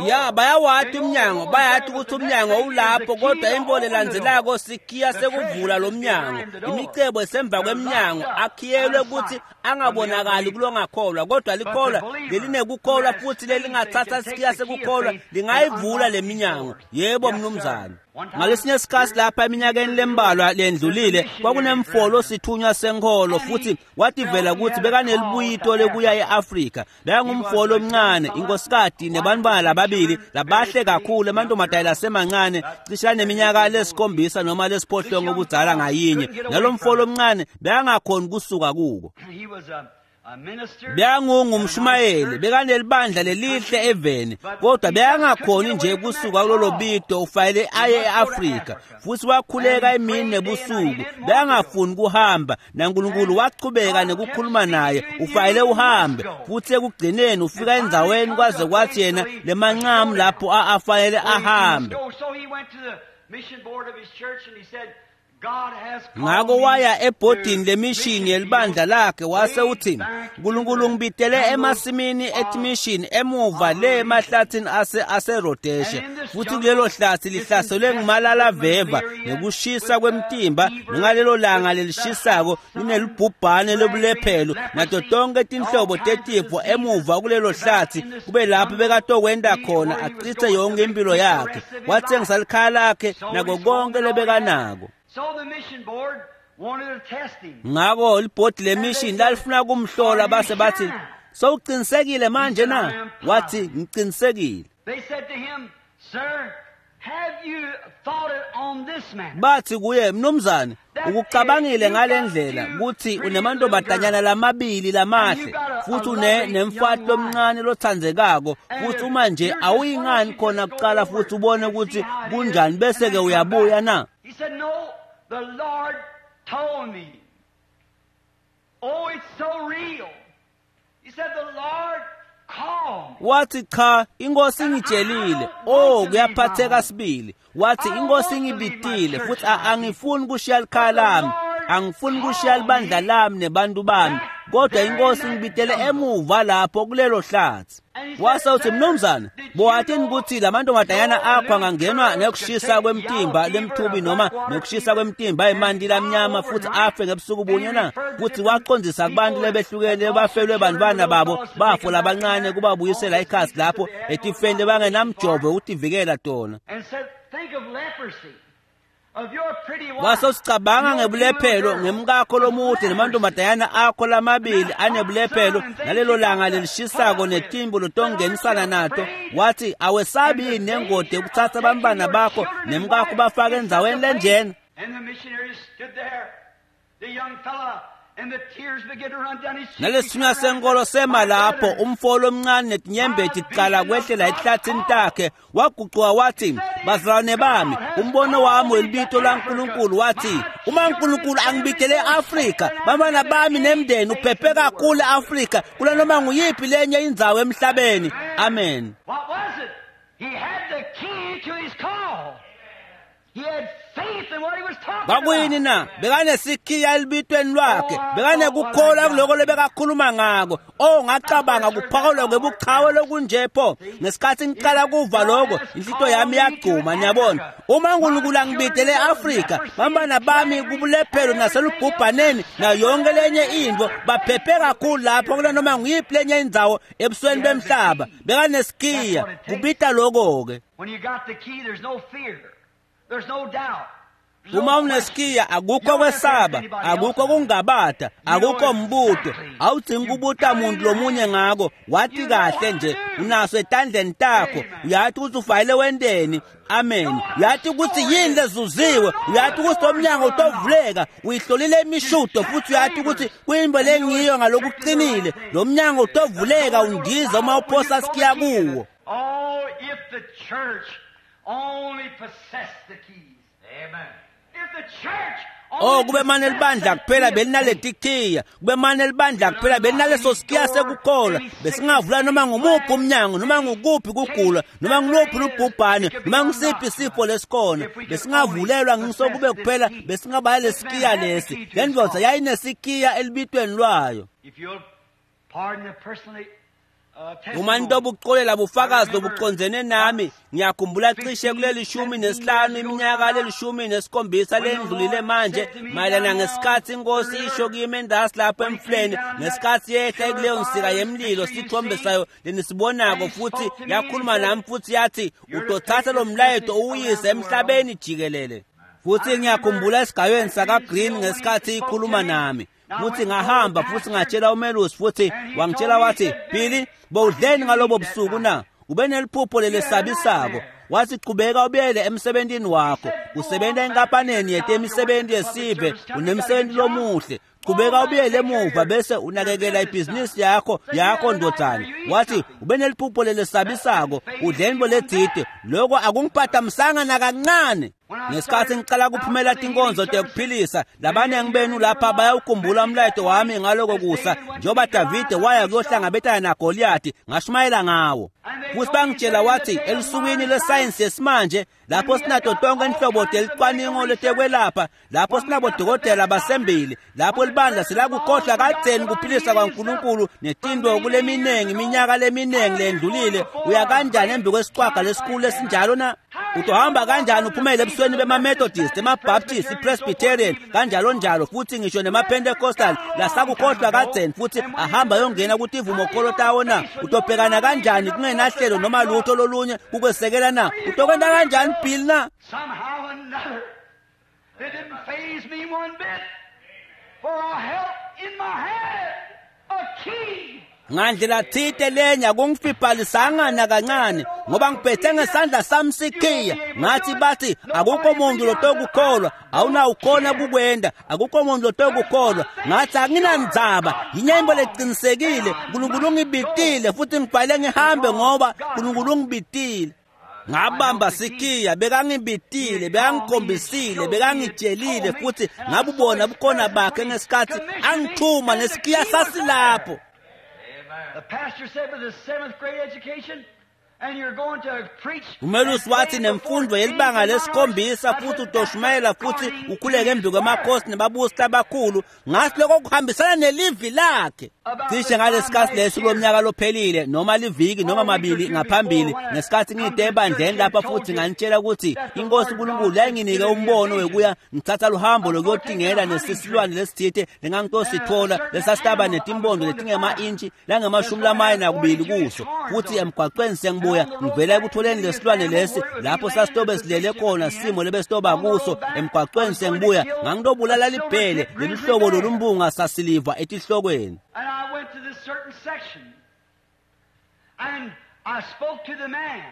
Ya, bayawati umnyango, bayathi ukuthi umnyango ulapho, kodwa imbo lelandzelako sikhiya sekuvula lo mnyango. Imicebo esemva kweminyango akhiyelwe ukuthi angabonakali kulongakholwa, kodwa likholwa lelinekukholwa futhi lelingathatha sikhiya sekukholwa lingayivula le minyango. Yebo mnumzane. Ngalesinye isikhathi lapha eminyakeni lembalwa lendlulile, kwakunemfolo sithunywa senkholo futhi wativela ukuthi bekanelibuyito lekuya e-Afrika. Bekangumfolo omncane, inkosikati nebantwana lababili labahle kakhulu, amantombazane lasemancane, cishe neminyaka lesikhombisa noma lesiphohlongo obudzala ngayinye. Nalo mfolo omncane bekangakhoni kusuka kuko. Bekangungumshumayeli, bekanelibandla lelihle eveni, kodwa bekangakhoni nje kusuka kulolo bito ufanele aye e-Afrika. Futhi wakhuleka emini nebusuku, bekangafuni kuhamba, naNkulunkulu wachubeka nekukhuluma naye, ufanele uhambe. Futhi ekugcineni ufika endzaweni kwaze kwathi yena lemancamu lapho afanele ahambe. Ngakho waya ebhodini lemishini yelibandla lakhe wase uthi, uNkulunkulu ngibitele emasimini etimishini emuva le emahlathini aseRhodesha, futhi kulelo hlathi lihlaselwe ngumalalaveva nekushisa kwemtimba, ngalelo langa lelishisako linelibhubhane lobulephelo nato tonke tinhlobo tetifo emuva kulelo hlathi, kube lapho bekatokwenda khona achithe yonke impilo yakhe. Wathengisa likhaya lakhe nako konke lebekanako. Ngakho libhodi lemishini lalifuna kumhlola, base bathi, sowuqinisekile manje na? Wathi, ngiqinisekile. Bathi kuye, mnumzane, ukucabangile ngale ndlela ukuthi unemantombazanyana lamabili lamahle futhi nemfati lomncane lothandzekako, futhi uma nje awuyingani khona kuqala futhi ubone ukuthi kunjani bese ke uyabuya na? He said, no, the Lord told me. Oh, it's so real. He said, the Lord called me. Wathi, cha, inkosi ingitshelile. Oh, kuyaphatheka sibili. Wathi, inkosi ingibitile futhi angifuni kushiya likhaya lami, angifuni kushiya libandla lami nebantu bami, kodwa inkosi ingibitele emuva lapho kulelo hlathi. Wase uthi, mnumzane, bowathini ukuthi lamantombazanyana akho angangenwa nekushisa kwemtimba lemthubi noma nekushisa kwemtimba emanti lamnyama futhi afe ngebusuku bunye na? Futhi waqondisa kubantu lebehlukene bafelwe bantwana babo bafo labancane kubabuyisela ikhasi lapho etifeni lebangenamjovo ukutivikela tona. And said, think of leprosy. Wase usicabanga ngebulephelo ngemkakho lomude nemantombazanyana akho lamabili anebulephelo nalelo langa lelishisako netimbu lotongenisana nato. Wathi awesabi yini nengodi yekutsatsa bantfwana bakho nemkakho bafake endzaweni lenjena? Nalesithunywa senkolo sema lapho, umfo lomncane netinyembeti ticala kwehlela ehlathini takhe. Wagucuka wathi, bazalwane bami, umbono wami welibito laNkulunkulu wathi, uma uNkulunkulu angibidele e-Afrika, bantwana bami nemndeni uphephe kakhulu e-Afrika kulanoma nguyiphi lenye indzawo emhlabeni. Amen. What was it? He had the key to his call. He had faith in what he was talking Kwakuyini na? Bekanesikhiya elibitweni lwakhe, bekanekukholwa kuloko lebekakhuluma ngako. Oh, ngacabanga kuphawulwa kwebuchawe lokunje pho. Ngesikhathi ngiqala kuva lokho, inhlito yami yagcuma, niyabona. Uma uNkulunkulu angibidele e-Afrika, bantwana bami kubulephelo naselubhubhaneni nayo yonke lenye intfo, baphephe kakhulu lapho kulanoma nguyiphi lenye indzawo ebusweni bemhlaba. Bekanesikhiya, kubita lokho-ke. When you got the key, there's no fear. There's no doubt. Uma unesikhiya akukho kwesaba, akukho kungabata, akukho mbuto. Awudzingi kubuta muntu lomunye ngako, wathi kahle nje unaso etandleni takho, uyathi ukuthi ufayile wenteni. Amen. Uyathi ukuthi yini lezuziwe, uyathi ukuthi lo mnyango utovuleka, uyihlolile imishudo futhi uyathi ukuthi kuyimbo lengiyo ngalokuqinile. Lo mnyango utovuleka undiza uma uphosa sikhiya kuwo. Oh, if the church only possessed the keys. Amen. If the church Oh, kube mane libandla kuphela belinaletikhiya, kube mane libandla kuphela belinaleso sikhiya sekukholwa, besingavula noma ngumuphi umnyango, noma ngukuphi kugula, noma nguluphi lubhubhane, noma ngusiphi isifo lesikhona, besingavulelwa ngisho kube kuphela besingabaya lesikhiya lesi. Le ndvodza yayinesikhiya elibitweni lwayo. If you'll pardon the personally Uma nitobucolela bufakazi lobucondzene nami, ngiyakhumbula cishe kuleli 15 iminyaka lelishumi nesikhombisa lendlulile manje, mayelana ngesikhathi inkosi isho kimi endasi lapho emfuleni, ngesikhathi yehla kuleyo nsika yemlilo, sithombe sayo lenisibonako, futhi yakhuluma nami futhi yathi, utothatha lo mlayeto uwuyise emhlabeni jikelele. Futhi ngiyakhumbula esigayweni saka-Green ngesikhathi ikhuluma nami. Futhi ngahamba futhi ngatshela umelusi, futhi wangitshela wathi, Billy, bowudleni ngalobo busuku na? Ube neliphupho lelesabisako. Wathi qhubeka ubuyele emsebentini wakho, usebenza enkampaneni yetemisebenzi yesive, unemsebenzi lomuhle. Qhubeka ubuyele emuva bese unakekela ibhizinisi yakho ndodana. Wathi ube neliphupho lelesabisako, udleni boledzide. Lokho akungiphathamisanga nakancane. Ngesikhathi ngicala kuphumela tinkonzo tekuphilisa, labanengi benu lapha bayawukhumbula umlayeto wami ngaloko kusa, njengoba Davide waya kuyohlangabetana naGoliyathi, ngashumayela ngawo. Futhi bangitshela wathi elusukwini lwesayensi yesimanje, lapho sinato tonke inhlobo telicwaningo letekwelapha, lapho sinabodokotela basembili, lapho libandla selakukhohlwa kadzeni kuphilisa kwaNkulunkulu netinto kuleminingi iminyaka leminingi lendlulile, uya kanjani embi kwesiqhwaga lesikhulu esinjalo na? Utohamba kanjani uphumele ebusweni bema-Methodist, ema-Baptist, i-Presbyterian, kanjalo njalo, futhi ngisho nema-Pentecostal lasakukhohlwa kadzeni futhi ahamba yongena kutivumokholo tawo na? Utobhekana kanjani kungenahlelo noma lutho lolunye kukwesekela na? Utokwenta kanjani Bill na? Somehow or another, it didn't faze me one bit, for I held in my hand a key. Ngandlela thite lenya kungifibhalisanga nakancane, ngoba ngiphethe ngesandla sami sikhiya. Ngathi bathi akukho muntu lotokukholwa, awunawukhona kukwenda, akukho muntu lotokukholwa. Ngathi anginandzaba, yinyembo leqinisekile, uNkulunkulu ungibitile futhi ngibhale ngihambe ngoba uNkulunkulu ungibitile. Ngabamba sikhiya, bekangibitile, bekangikhombisile, bekangitshelile futhi ngabubona bukhona bakhe ngesikhathi angithuma nesikhiya sasilapho. The pastor said with a 7th grade education, and you're going to preach. Umelusi wathi nemfundo yelibanga lesikhombisa futhi utoshumayela futhi ukhuleke embi kwemakhosi nebabusi labakhulu. Ngathi lokho kuhambisana nelivi lakhe. Cishe ngalesikhathi leso lomnyaka lophelile noma liviki noma mabili ngaphambili, ngesikhathi ngide ebandleni lapha futhi nganitshela ukuthi inkosi uNkulunkulu yayinginike umbono wekuya ngithatha luhambo lokuyotingela nesisilwane lesithite lengangitosithola lesasitaba netimbondo letingema-intshi langamashumi lamane nakubili kuso, futhi emgwaqweni sengibone sengibuya ngivela ekutholeni lesilwane lesi lapho sasitobe silele khona simo lebesitoba kuso emgwaqweni sengibuya ngangitobulala libhele lelihlobo lolumbunga sasiliva etihlokweni. And I went to this certain section, and I spoke to the man,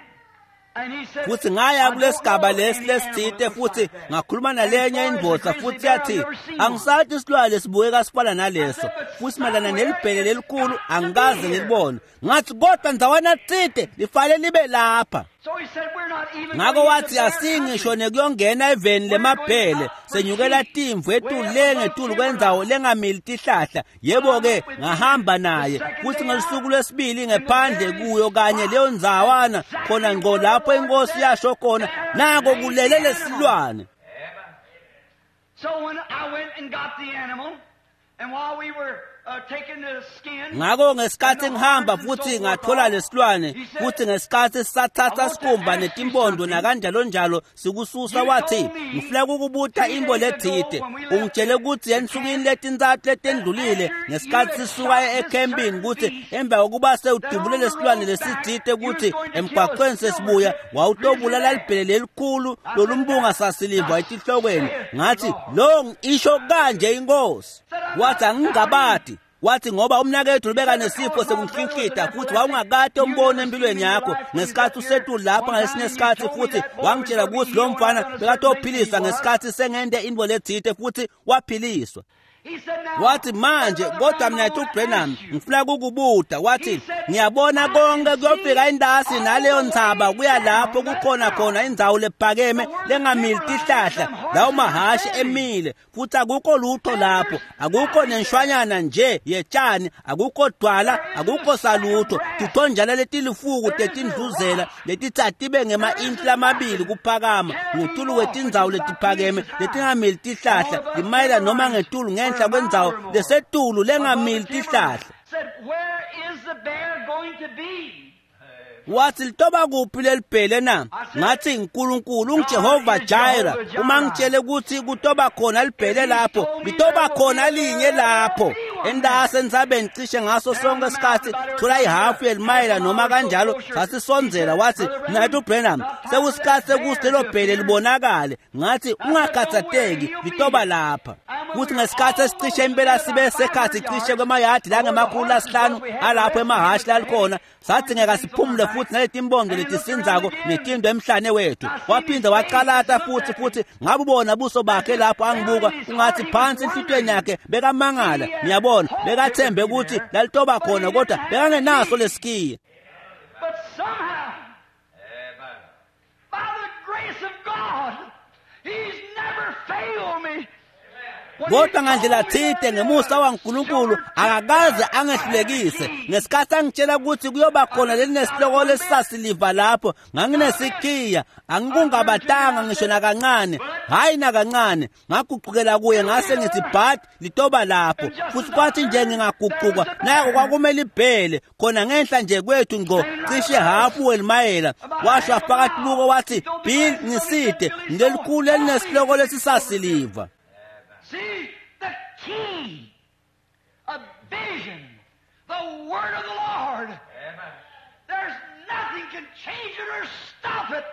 and he said, Futhi ngaya "I don't kulesigaba know lesi any lesitsite animal that looks futhi like that." ngakhuluma And as nalenye far as the indvodza grizzly futhi bear, I've yathi never seen one. angisathi isilwane sibukeka sifana naleso futhi mayelana nelibhele lelikhulu angikaze ngilibone. Ngathi kodwa ndzawana tsite lifanele libe lapha. So he said, "We're not even Ngako going into wathi bear asingisho country. nekuyongena eveni lemabhele senyukela timvu etulu le ngetulu kwendzawo lengamili tihlahla. Yebo-ke ngahamba naye futhi ngelusuku lwesibili ngephandle kuyo kanye leyo ndzawana khona ngqo lapho inkosi yasho khona nako kulele lesilwane. So when I went and got the animal, and while we were taking the skin, Ngako ngesikhathi ngihamba futhi ngathola lesilwane futhi ngesikhathi sisathatha sikhumba netimpondo nakanjalo njalo sikususa wathi ngifuna ukukubuta imbo lethite ungitshele ukuthi ensukwini letintsatfu letendlulile ngesikhathi sisuka ekhempini ukuthi emva kokuba sewudubule lesilwane lesitsite ukuthi emgwaqweni sesibuya wawutobulala libhele lelikhulu lolumbunga sasiliva etihlokweni. Ngathi lo isho kanje inkosi. Wathi angingabadi. Wathi ngoba umnakethu ubeka nesifo sekunhlinhlita futhi wawungakade umbone empilweni yakho ngesikhathi usetulu lapha ngalesinye isikhathi futhi wangitshela ukuthi lo mfana bekatophiliswa ngesikhathi sengente into lethite futhi waphiliswa. he said, "Now, Wathi manje kodwa mina uBrenham ngifuna kukubuta. Wathi ngiyabona konke kuyofika indasi naleyo ntsaba kuya lapho kukhona khona indzawo lephakeme lengamili tihlahla lawo mahhashi emile futhi akukho lutho lapho akukho nenshwanyana nje yetshani akukho dwala akukho salutho tithonjana letilifuku tetindluzela letitsa tibe ngema-intshi lamabili kuphakama ngetulu kwetindzawo letiphakeme letingamili tihlahla limayela noma ngetulu ngenhla kwendzawo lesetulu lengamili tihlahla. Said, "Where is the bear going to be?" Wathi litoba kuphi lelibhele na? Ngathi uNkulunkulu unguJehova Jireh. Uma ngitshele ukuthi kutoba khona libhele lapho, litoba khona linye lapho. Endase entsabeni cishe ngaso sonke isikhathi thola ihafu yelimayela noma kanjalo sasisondzela. Wathi mnaketfu Branham sekusikhathi sekuthi lelo bhele libonakale. Ngathi ungakhathatheki litoba lapha. Kuthi ngesikhathi esicishe impela sibe sekhathi cishe kwemayadi langemakhulu 5 alapho emahhashi lalikhona sathi ngeke siphumule futhi naletimbongo letisinzako netindo emhlane wethu. Waphinde waqalata futhi ngabubona buso bakhe lapho angibuka ungathi phansi enhlitweni yakhe bekamangala. Ngiyabona bekathembe ukuthi lalitoba khona kodwa bekangenaso lesikiya. But somehow, by the grace of God, he's never failed me. When he Kodwa ngandlela told me thite there ngemusa is waNkulunkulu akakaze angehlulekise. Ngesikhathi angitshela ukuthi kuyoba khona lelinesihloko lesisasiliva lapho nganginesikhiya angikungabatanga ngisho nakancane hayi nakancane. Ngaguqukela kuye ngase ngithi but litoba lapho futhi kwathi nje ngingaguquka nako kwakumele ibhele khona ngenhla nje kwethu ngqo cishe hafu welimayela. Washo wafaka tibuko wathi Bill ngiside ngilelikhulu elinesihloko lesisasiliva. See, the key of vision, the word of the Lord. There's nothing can change it or stop it.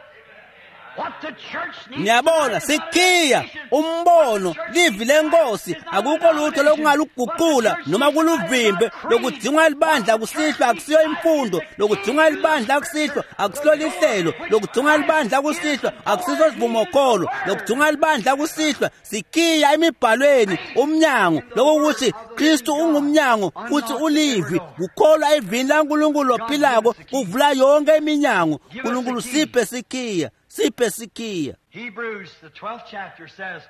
What the church needs Ngiyabona tonight is not sikhiya education. umbono What the church livi needs lenkosi tonight is not akukho lutho denomination. lokungaluguqula What the church noma needs tonight is kuluvimbe not creed. lokudingwa libandla What the church kusihlwa needs akusiyo tonight imfundo is the lokudingwa key to libandla the kusihlwa scripture. akusilo lihlelo lokudingwa libandla kusihlwa akusiso sivumokholo lokudingwa libandla kusihlwa sikhiya emibhalweni umnyango lokuthi Kristu ungumnyango futhi ulivi kukholwa evini laNkulunkulu lophilako kuvula yonke iminyango. uNkulunkulu siphe sikhiya siphe sikhiya. Hebrews, the 12th chapter says,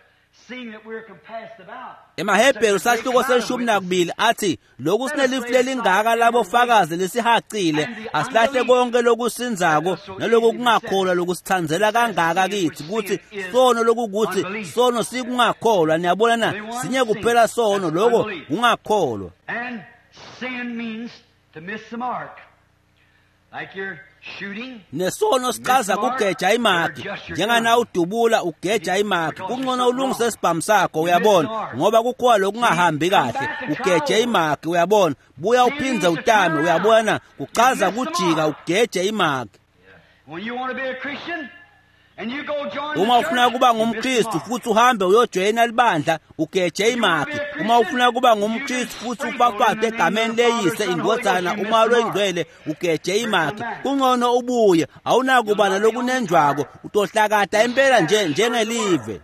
seeing that we're compassed about. EmaHebheru sahluko se-12 athi lokhu sinelifu lelingaka labofakazi lesihacile asilahle konke lokusinzako naloku kungakholwa lokusithandzela kangaka kithi kuthi sono lokukuthi sono sikungakholwa. Niyabona na sinye kuphela sono lokho kungakholwa. And sin means to miss the mark. Like you're shooting. Nesono sichaza kugeja imaki njengana udubula ugeja imaki kungcono ulungise isibhamu sakho uyabona ngoba kukhona lokungahambi kahle ugeje imaki uyabona buya uphindze utame uyabona kuchaza kujika ugeje imaki. Uma ufuna kuba ngumKristu futhi uhambe uyojoyina libandla, ugeje imakhi. Uma ufuna kuba ngumKristu futhi ufafatwe egameni leyise, indvodzana, umoya loyingcwele, ugeje imakhi. Kungcono ubuye, awunakuba nalokunenjwako, utohlakata impela nje njengelive.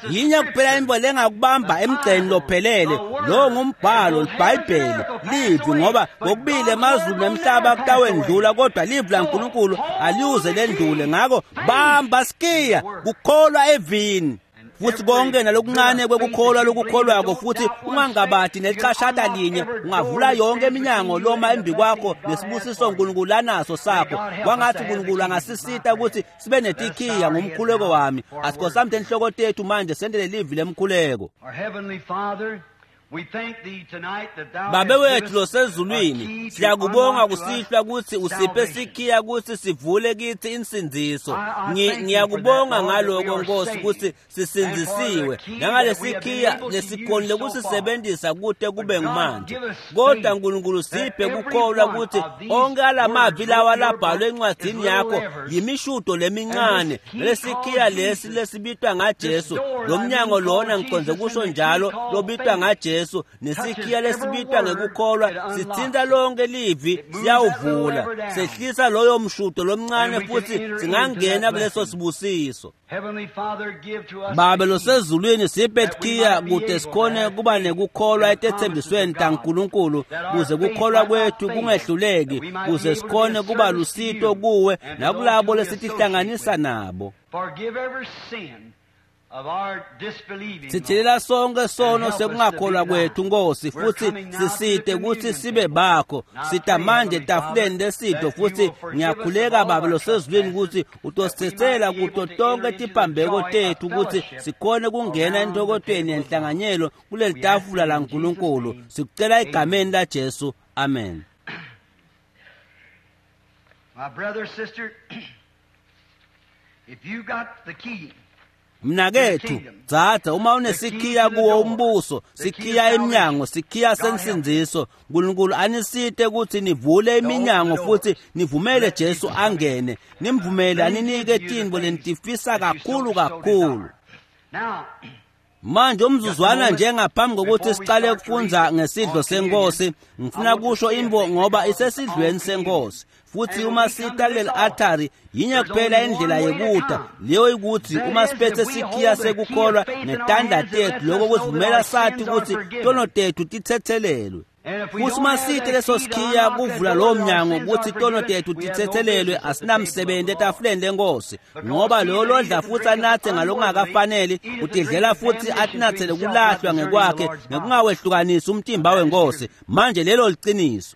Yinye kuphela into lengakubamba emgceni lophelele, lo ngumbhalo, libhayibheli, livi, ngoba kokubili emazulu nemhlaba kutawendlula, kodwa livi laNkulunkulu aliyuze lendlule. Ngako bamba sikiya kukholwa evini, futhi konke nalokuncane kwekukholwa lokukholwako, futhi ungangabadi nelichashata linye, ungavula yonke iminyango loma embi kwakho nesibusiso uNkulunkulu anaso sakho. Kwangathi uNkulunkulu angasisita ukuthi sibe netikhiya ngumkhuleko wami. Asikhosamde enhloko tethu manje sendele livi lemkhuleko. Babe wethu losezulwini, siyakubonga kusihlwa ukuthi usiphe sikhiya ukuthi sivule kithi insindiso. Ngiyakubonga ngaloko Nkosi ukuthi sisindzisiwe nangalesi sikhiya lesikhonile kusisebenzisa kute kube ngumanje. Kodwa Nkulunkulu siphe kukholwa ukuthi onke alamavi lawa labhalwe encwadzini yakho yimishudo lemincane, lesikhiya lesi lesibitwa ngaJesu, lo mnyango lona ngiconze kusho njalo lobitwa ngaJesu, nesikhiya lesibitwa ngekukholwa sithinta lonke livi, siyawuvula, sehlisa loyo mshudo lomncane futhi singangena kuleso sibusiso. Babe losezulwini, siphe tikhiya kute sikhone kuba nekukholwa etetsembisweni taNkulunkulu, kuze kukholwa kwethu kungehluleki, kuze sikhone kuba lusito kuwe nakulabo lesitihlanganisa nabo. Sithelela sonke sono sekungakholwa kwethu Nkosi, futhi sisite ukuthi sibe bakho. Sita manje etafuleni lesidlo, futhi ngiyakhuleka Babe losezulwini ukuthi utosithethela kuto tonke tiphambeko tethu, ukuthi sikhone kungena entokotweni yenhlanganyelo kuleli tafula laNkulunkulu. Sikucela egameni laJesu, amen. My brother, sister, if you got the key, Mnakethu, dzadza, uma unesikhiya kuwo umbuso, sikhiya iminyango, sikhiya sensindziso, uNkulunkulu anisite ukuthi nivule iminyango futhi nivumele Jesu angene, nimvumele aninike tintfo lenitifisa kakhulu kakhulu. Manje umzuzwana nje ngaphambi kokuthi siqale ukufundza ngesidlo senkosi, ngifuna kusho into ngoba isesidlweni senkosi. Futhi uma sita kuleli altari, yinye kuphela indlela yekuda, leyo ikuthi uma siphethe sikhiya sekukholwa netandla tethu, lokho kusivumela sathi ukuthi tono tethu tithethelelwe. Futhi uma sithe leso sikhiya kuvula lowo mnyango ukuthi tono tethu tithethelelwe, asinamsebenzi etafuleni lenkosi, ngoba loyo lodla futhi anathe ngalokungakafaneli utidlela futhi atinathele kulahlwa ngekwakhe ngekungawehlukanisi umtimba wenkosi. Manje lelo liciniso.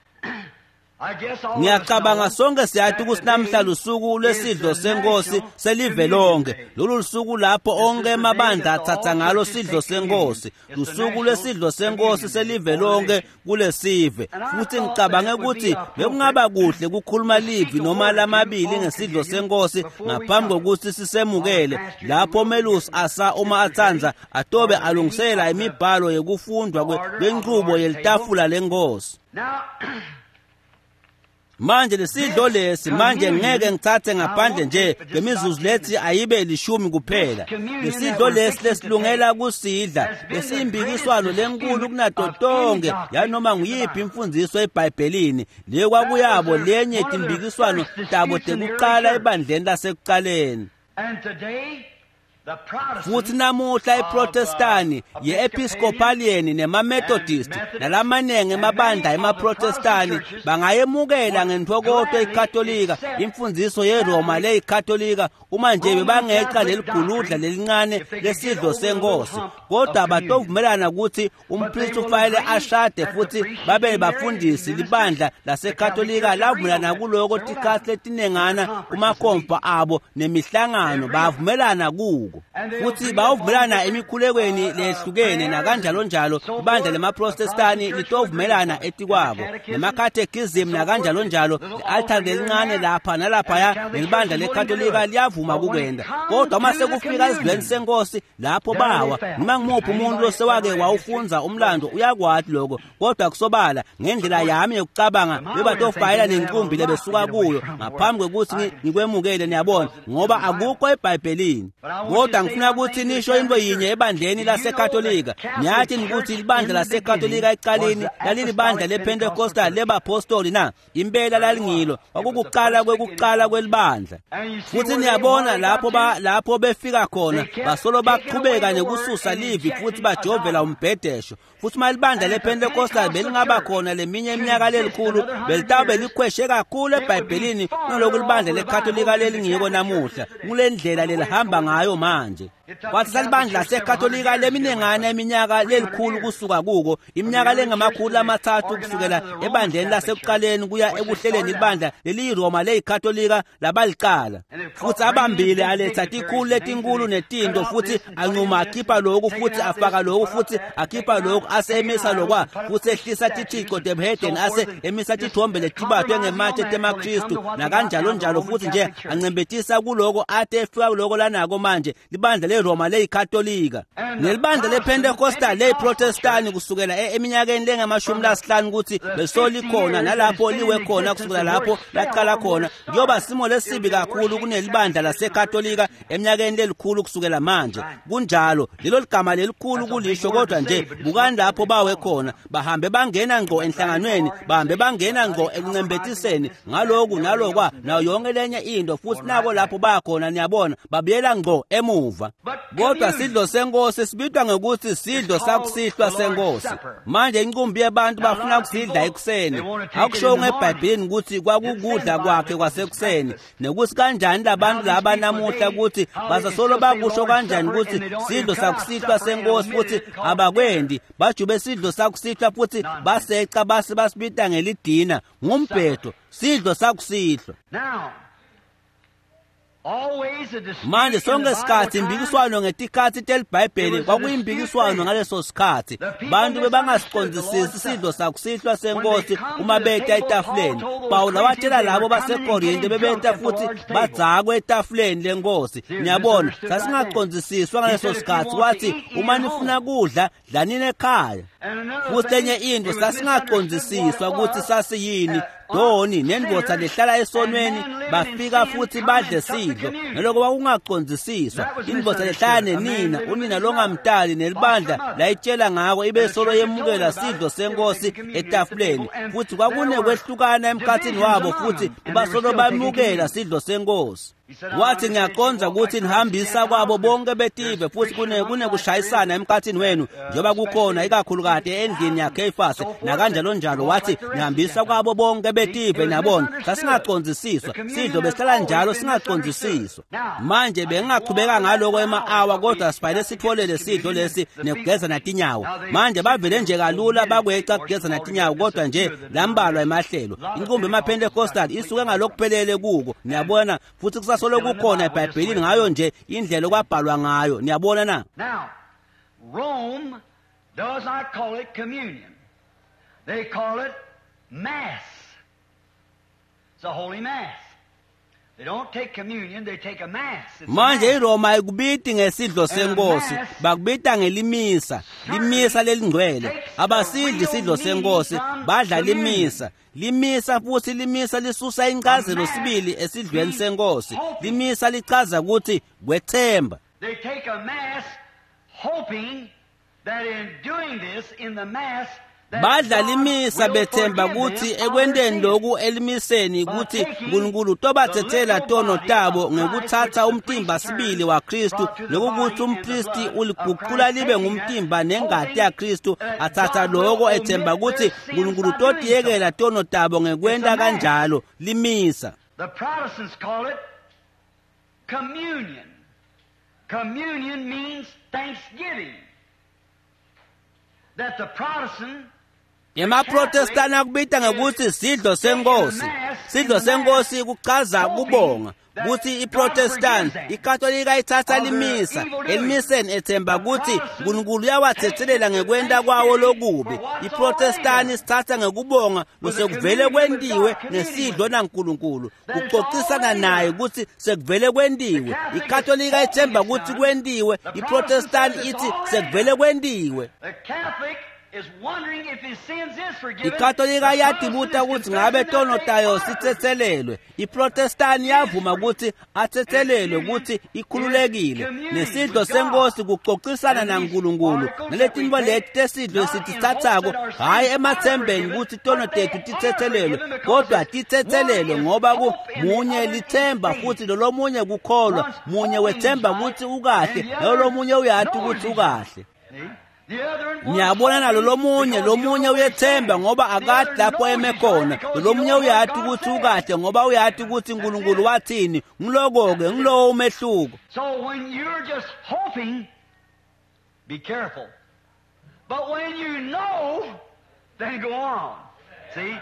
Ngiyacabanga sonke siyathi ukuthi namhla lusuku lwesidlo senkosi selive lonke. Lolu lusuku lapho onke emabandla athatha ngalo sidlo senkosi, lusuku lwesidlo senkosi selive lonke kulesive. Futhi ngicabange ukuthi bekungaba kuhle kukhuluma livi noma lamabili ngesidlo senkosi ngaphambi kokuthi sisemukele, lapho melusi asa uma atsanza atobe alungisela imibhalo yekufundwa kwenqubo yelitafula lenkosi. Manje lesidlo lesi, manje ngeke ngithathe ngaphandle nje ngemizuzu lethi ayibe 10 kuphela. Lesidlo lesi lesilungela kusidla lesiyimbikiswano lenkulu kunato tonke yanoma nguyiphi imfundiso eBhayibhelini. Leyo kwakuyabo lenye timbikiswano tabo tekuqala ebandleni lasekuqaleni. Futhi namuhla iProtestani, ye-Episcopalian nemaMethodist nalamanengi emabandla emaProtestani bangayemukela ngentfokoto iKatolika, imfundiso yeRoma leyiKatolika, uma nje bebangeqa leliguludla lelincane lesidlo senkosi. Kodwa batovumelana ukuthi umpristi ufanele ashade futhi babe bafundisi. Libandla laseKatolika lavumelana kuloko tikhatsi letinengana kumakomfa abo nemihlangano, bavumelana kuko. kuko. Futhi bawuvumelana emikhulekweni lehlukene nakanjalo njalo. Ibandla lemaprotestani litovumelana etikwako, nemakhathekhizimu nakanjalo njalo, i-altare lelincane lapha nalaphaya, nelibandla lekatolika liyavuma kukwenda. Kodwa uma sekufika esidlweni senkosi, lapho bawa. Noma ngumuphi umuntu losewake wawufundza umlando uyakwati lokho. Kodwa kusobala ngendlela yami yokucabanga bebatofayela nenkumbi lebesuka kuyo ngaphambi kwekuthi ngikwemukele, niyabona, ngoba akukho eBhayibhelini. Kodwa ngifuna ukuthi nisho into yinye ebandleni laseKatolika. Niyathi ukuthi libandla laseKatolika ekuqaleni lalilibandla lePentecostal lebapostoli na? Impela lalingilo, kwakukuqala kwekuqala kwelibandla. Futhi niyabona lapho lapho befika khona, basolo baqhubeka nekususa livi futhi bajovela umbhedesho. Futhi uma libandla lePentecostal belingaba khona leminye iminyaka lelikhulu, belitawube likhweshe kakhulu eBhayibhelini kunoloku libandla leKatolika lelingiko namuhla. Kule ndlela lelihamba ngayo manje. Kwathi salibandla laseKatolika leminengana iminyaka lelikhulu kusuka kuko, iminyaka lengamakhulu amathathu kusukela ebandleni lasekuqaleni kuya ekuhleleni ibandla leliyiRoma leyiKatolika labalicala. Futhi abambile aletha tikhulu letinkulu netinto, futhi anquma akhipha lokhu futhi afaka lokhu futhi akhipha lokhu, ase emisa lokwa futhi ehlisa tithixo tebuhedeni, ase emisa tithombe letibatwe ngematshe temaKristu nakanjalo njalo, futhi nje ancembetisa kuloko ate efika kuloko lanako manje libandla leRoma leyiKatolika nelibandla lePentecostal leyiProtestani kusukela eminyakeni lengamashumi lasihlanu ukuthi besolikhona nalapho liwe khona kusukela lapho laqala khona. Kuyoba simo lesibi kakhulu kunelibandla laseKatolika eminyakeni lelikhulu kusukela manje. Kunjalo, lelo ligama lelikhulu kulisho, kodwa nje bukani lapho bawe khona. Bahambe bangena ngqo enhlanganweni, bahambe bangena ngqo ekuncembetiseni ngaloku nalokwa nayo yonke lenye into, futhi nabo lapho bakhona, niyabona, babuyela ngqo emuva. Kodwa sidlo senkosi sibitwa ngokuthi sidlo sakusihlwa senkosi. Manje inqumbi yabantu bafuna ukusidla ekuseni. Akusho ngeBhayibhelini ukuthi kwakukudla kwakhe kwasekuseni, nekuthi kanjani labantu laba namuhla ukuthi basasolo bakusho kanjani ukuthi sidlo sakusihlwa senkosi, futhi abakwendi. Bajube sidlo sakusihlwa futhi baseca base basibita ngelidina. Ngumbhedo, sidlo sakusihlwa. Manje sonke sikhathi impikiswano ngetikhathi telibhayibheli kwakuyimpikiswano ngaleso sikhathi. Bantu bebangasiqondisisi isidlo sakusihlwa senkosi uma beta etafuleni. Pawula watshela labo baseKorinte bebeta futhi badzakwe etafuleni lenkosi. Niyabona, sasingaqondisiswa ngaleso sikhathi. Wathi, uma nifuna kudla, dlanini ekhaya. Futhi enye into, sasingaqondisiswa ukuthi sasiyini. Doni nendoda lehlala esonweni bafika futhi badle sidlo, naloko kwakungaqondisiswa. Indoda lehlala nenina, unina longamtali, nelibandla layitshela ngako, ibe solo yemukela sidlo senkosi etafuleni. Futhi kwakunekwehlukana emkhathini wabo, futhi basolo bamukela sidlo senkosi. Wathi, ngiyaqonda ukuthi nihambisa kwabo bonke betive, futhi kunekushayisana emkhathini wenu, njengoba kukhona ikakhulukati endlini yaKhefasi nakanjalo njalo. Wathi, nihambisa kwabo bonke betive. Niyabona, sasingaqondisiswa sidlo, besihlala njalo singaqondisiswa. Manje bengingaqhubeka ngaloko ema-awa, kodwa sifanele sitholele sidlo lesi nekugeza natinyawo. Manje bavele nje kalula bakweca kugeza natinyawo, kodwa nje lambalwa emahlelo. Inqumbi emaPentecostal isuke ngalokuphelele kuko, niyabona, futhi kusasolo kukhona eBhayibhelini ngayo nje indlela okwabhalwa ngayo. Niyabona na? Now, Rome does not call it communion. They call it Mass. It's a holy Mass. They don't take communion, they take a Mass. It's a Manje Mass. iRoma ayikubiti ngesidlo senkosi, bakubita ngelimisa, limisa lelingcwele. Abasidli isidlo senkosi, badla limisa. Limisa futhi limisa lisusa incazelo sibili esidlweni senkosi. Limisa lichaza ukuthi kwethemba. They take a Mass hoping that in doing this, in the Mass, that Badla God limisa will bethemba forgive ukuthi them of their ekwenteni sins. loku elimiseni ukuthi uNkulunkulu utobathethela tono tabo ngekuthatha umtimba sibili waKristu, nokukuthi umpristi uliguqula libe ngumtimba nengati yaKristu, athatha loko ethemba ukuthi uNkulunkulu utotiyekela tono tabo ngekwenta kanjalo. Limisa. The Protestants call it communion. Communion means thanksgiving. That the Protestant EmaProtestani akubita ngekuthi sidlo senkosi. Sidlo senkosi kuchaza kubonga kutsi iProtestant iKatolika ithatha limisa elimiseni ethemba kutsi uNkulunkulu uyawathethelela ngekwenta kwawo lokubi. iProtestant isithatha ngekubonga losekuvele kwentiwe ngesidlo naNkulunkulu, kuxoxisana naye kutsi sekuvele kwentiwe. iKatolika ithemba kutsi kwentiwe, iProtestant ithi sekuvele kwentiwe. iKatolika iyatibuta kutsi ngabe tono tayo sithethelelwe. iProtestant iyavuma kutsi athethelelwe kutsi ikhululekile. Nesidlo senkosi kuxoxisana naNkulunkulu. Naletinto leti tesidlo sititsatsako hhayi emathembeni kutsi tono tethu tithethelelwe, kodwa tithethelelwe ngoba munye lithemba futhi lolomunye kukholwa. Munye wethemba kutsi ukahle, nalolomunye uyati kutsi ukahle. Ngiyabona nalo lomunye, lomunye uyethemba ngoba akati lapho eme khona. Lomunye uyati kutsi ukahle ngoba uyati kutsi uNkulunkulu wathini. Ngiloko-ke, ngilowo umehluko. So when you're just hoping, be careful. But when you know, then go on. See?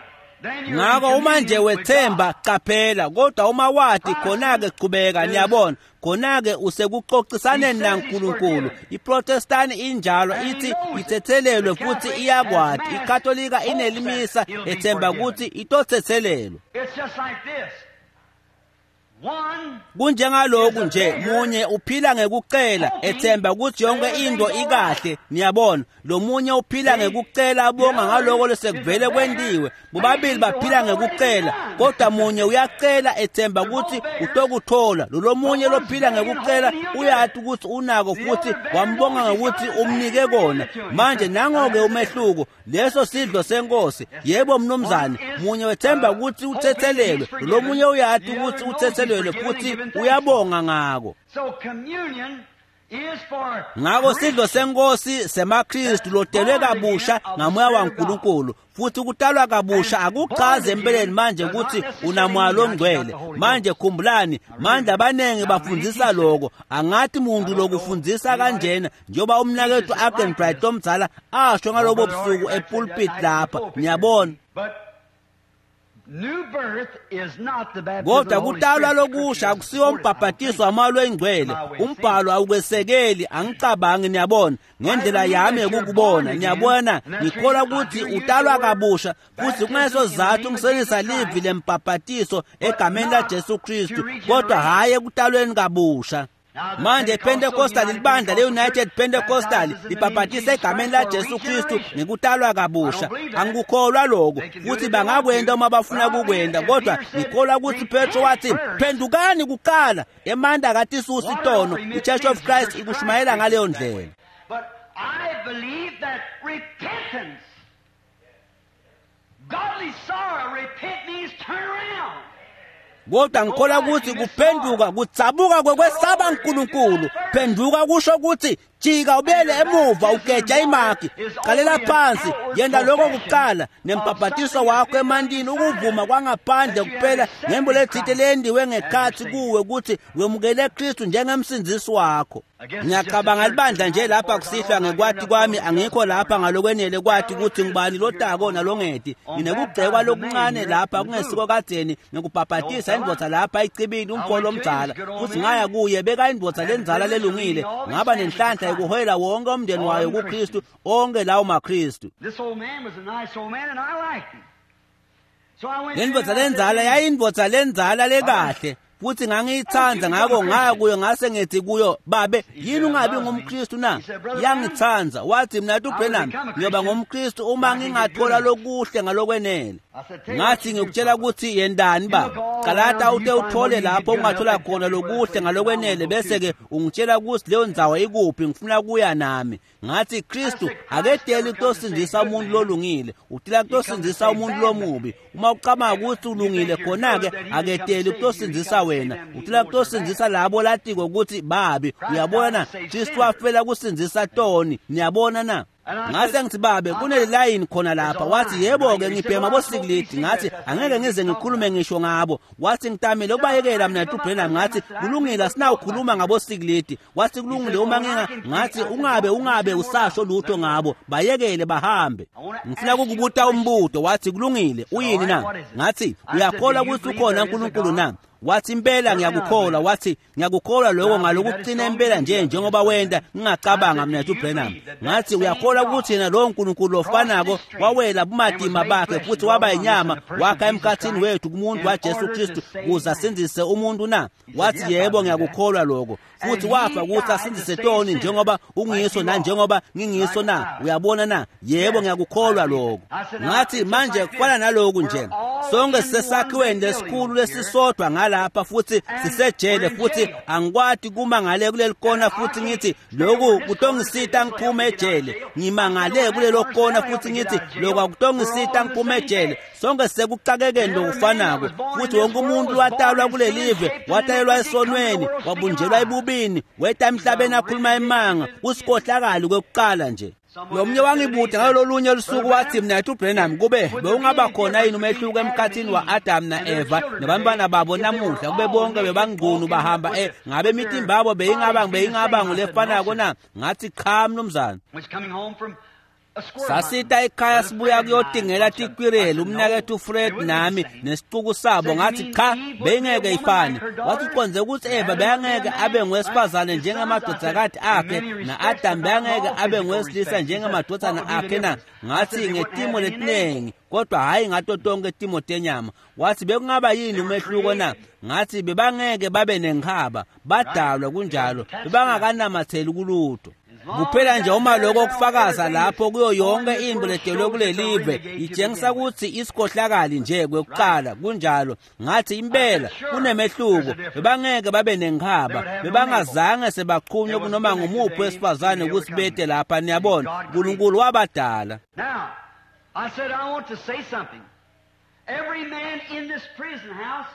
Ngako uma nje wethemba qaphela, kodwa uma wati khona-ke qhubeka. Niyabona, khona-ke usekuxoxisaneni naNkulunkulu. iProtestant injalo, ithi ithethelelwe futhi iyakwati. iKatolika inelimisa ethemba kutsi itothethelelwa. Kunjengaloku nje, munye uphila ngekucela ethemba kutsi yonke into ikahle. Niyabona, lomunye uphila ngekucela abonga ngaloko lesekuvele kwentiwe. Bobabili baphila ngekucela, kodwa munye uyacela ethemba kutsi utokuthola. Lolomunye lophila ngekucela uyati kutsi unako futhi wambonga ngekuthi umnike kona. Manje nango-ke umehluko. Leso sidlo senkosi. Yebo mnumzane, munye wethemba kutsi uthethelelwe, lomunye uyati kutsi uthethelelwe futhi uyabonga ngako. Ngako sidlo senkosi semaKristu lotelwe kabusha ngamoya waNkulunkulu, futhi kutalwa kabusha akuchazi empeleni manje kutsi unamoya longcwele. Manje khumbulani, manje abaningi bafundzisa loko. Angathi muntu lokufundzisa kanjena njengoba umnaketfu Arkenbright omdzala asho ngalobo busuku epulpit lapha. Niyabona, kodwa kutalwa lokusha akusiwo umbhabhatiso wamoya longcwele. Umbhalo awukwesekeli, angicabangi. Niyabona, ngendlela yami yokukubona. Niyabona, ngikholwa kutsi utalwa kabusha futhi kungeso sizathu ngisebenzisa livi lembhabhatiso egameni laJesu Kristu, kodwa hhayi ekutalweni kabusha. Manje iPentecostal, libandla le-United Pentecostal libhabhatisa egameni laJesu Kristu ngekutalwa kabusha. Angikukholwa lokho, futhi bangakwenta uma bafuna kukwenta, kodwa ngikholwa kutsi Petro wathi phendukani kuqala. Emandla akatisusi tono. I-Church of Christ ikushumayela ngaleyo ndlela. But I believe that repentance, godly sorrow, repent means turn around. Kodwa ngikholwa kutsi kuphenduka kudzabuka kwekwesaba uNkulunkulu. Phenduka kusho kutsi jika ubuyele emuva ugeja imaki, qalela phansi, yenta lokho kuqala. Nembhabhatiso wakho emantini ukuvuma kwangaphandle kuphela ngembo letsite leyendiwe ngekhatsi kuwe kutsi wemukele Kristu njengemsindzisi wakho. Ngiyacabanga libandla nje lapha kusihlwa ngekwati kwami angikho lapha ngalokwenele kwati kutsi ngubani lotako nalongeti. Nginekugcekwa lokuncane lapha kungesiko kadzeni ngekubhabhatisa indvodza lapha icibini umfo lomdzala, futhi ngaya kuye beka indvodza lendzala lelungile, ngaba nenhlanhla yokuholela wonke umndeni wayo kuKristu, onke lawo maKristu. Lendvodza lendzala yayindvodza lendzala lekahle, futhi ngangiyithanda, ngako ngaya kuyo ngase ngithi kuyo, babe yini ungabi ngumKristu na? Yangithanda. Wathi mina Branham ngiyoba ngumKristu uma ngingathola lokuhle ngalokwenele. Ngathi ngikutshela ukuthi yendani baba, qalata ute uthole lapho ungathola khona lokuhle ngalokwenele, bese-ke ungitshela ukuthi leyo ndzawo ikuphi, ngifuna kuya nami. Ngathi Kristu akedeli kutosindzisa umuntu lolungile, utila kutosindzisa umuntu lomubi. Uma ucabanga ukuthi ulungile khona-ke akedeli kutosindzisa wena, utila kutosindzisa labo latiko ukuthi babi. Uyabona na? Kristu wafela kusindzisa toni. Niyabona na? Ngase ngithi babe kunelilayini khona lapha. Wathi yebo-ke ngibhema bosikilidi. Ngathi angeke ngize ngikhulume ngisho ngabo. Wathi ngitamile ukubayekela mina Branham. Ngathi kulungile asinawukhuluma ngabosikilidi. Wathi kulungile uma nginga. Ngathi ungabe usasho lutho ngabo, bayekele bahambe. Ngifuna ukukubuta umbuto. Wathi kulungile uyini na? Ngathi uyakholwa ukuthi ukhona uNkulunkulu na? Wathi impela ngiyakukholwa. Wathi ngiyakukholwa lokho ngalokuqina impela nje njengoba wenda ngingacabanga mina Branham. Ngathi uyakholwa ukuthi yena lowo nkulunkulu ofanako wawela bumadima bakhe futhi waba inyama wakha emkhathini wethu kumuntu waJesu Kristu ukuze asindise umuntu na? Wathi yebo ngiyakukholwa lokho, futhi wafa ukuthi asindise toni njengoba ungiso na njengoba ngingiso na. Uyabona na? Yebo ngiyakukholwa lokho. Ngathi manje kufana naloku nje, sonke sisesakhiweni lesikhulu lesisodwa ngalapha futhi sisejele, futhi angikwati kuma ngale kuleli kona futhi ngithi lokhu kutongisita ngiphume ejele. Ngimangale kulelo kona futhi ngithi lokhu akutongisita ngiphume ejele. Sonke sekuxakekeni lokufanako, futhi wonke umuntu watalwa kulelive, watalelwa esonweni, wabunjelwa ebubini, weta emhlabeni akhuluma emanga, usikhohlakali kwekuqala nje. Lo mnye wangibuda ngalolunye lusuku wathi mina Branham, kube bewungaba khona yini umehluko emkhathini wa-Adam na-Eva nabantwana babo namuhla, kube bonke bebangqunu bahamba ngabe imitimba yabo beyingaba ngulefanako na? Ngathi cha mnumzane. Sasita ekhaya sibuya kuyotingela tikwireli, umnakethu Fred nami nesicuku sabo. Ngathi cha beyingeke ifane. Wathi uqonze ukuthi Eva beyangeke abe ngowesifazane njengemadodakazi akhe na-Adam beyangeke abe ngowesilisa njengemadodana akhe na? Ngathi ngetimo letinengi, kodwa hhayi ngato tonke timo tenyama. Wathi bekungaba yini umehluko na? Ngathi bebangeke babe nenkhaba, badalwa kunjalo, bebangakanamatheli kulutho. Kuphela nje uma lokho kufakaza lapho kuyo yonke into ledelwe kulelive itshengisa ukuthi isikhohlakali nje kwekuqala kunjalo. Ngathi impela kunemehluko, bebangeke babe nenkhaba, bebangazange sebaqhunywe kunoma ngumuphi wesifazane ukuthi bete lapha. Niyabona, uNkulunkulu wabadala. Now, I said I want to say something. Every man in this prison house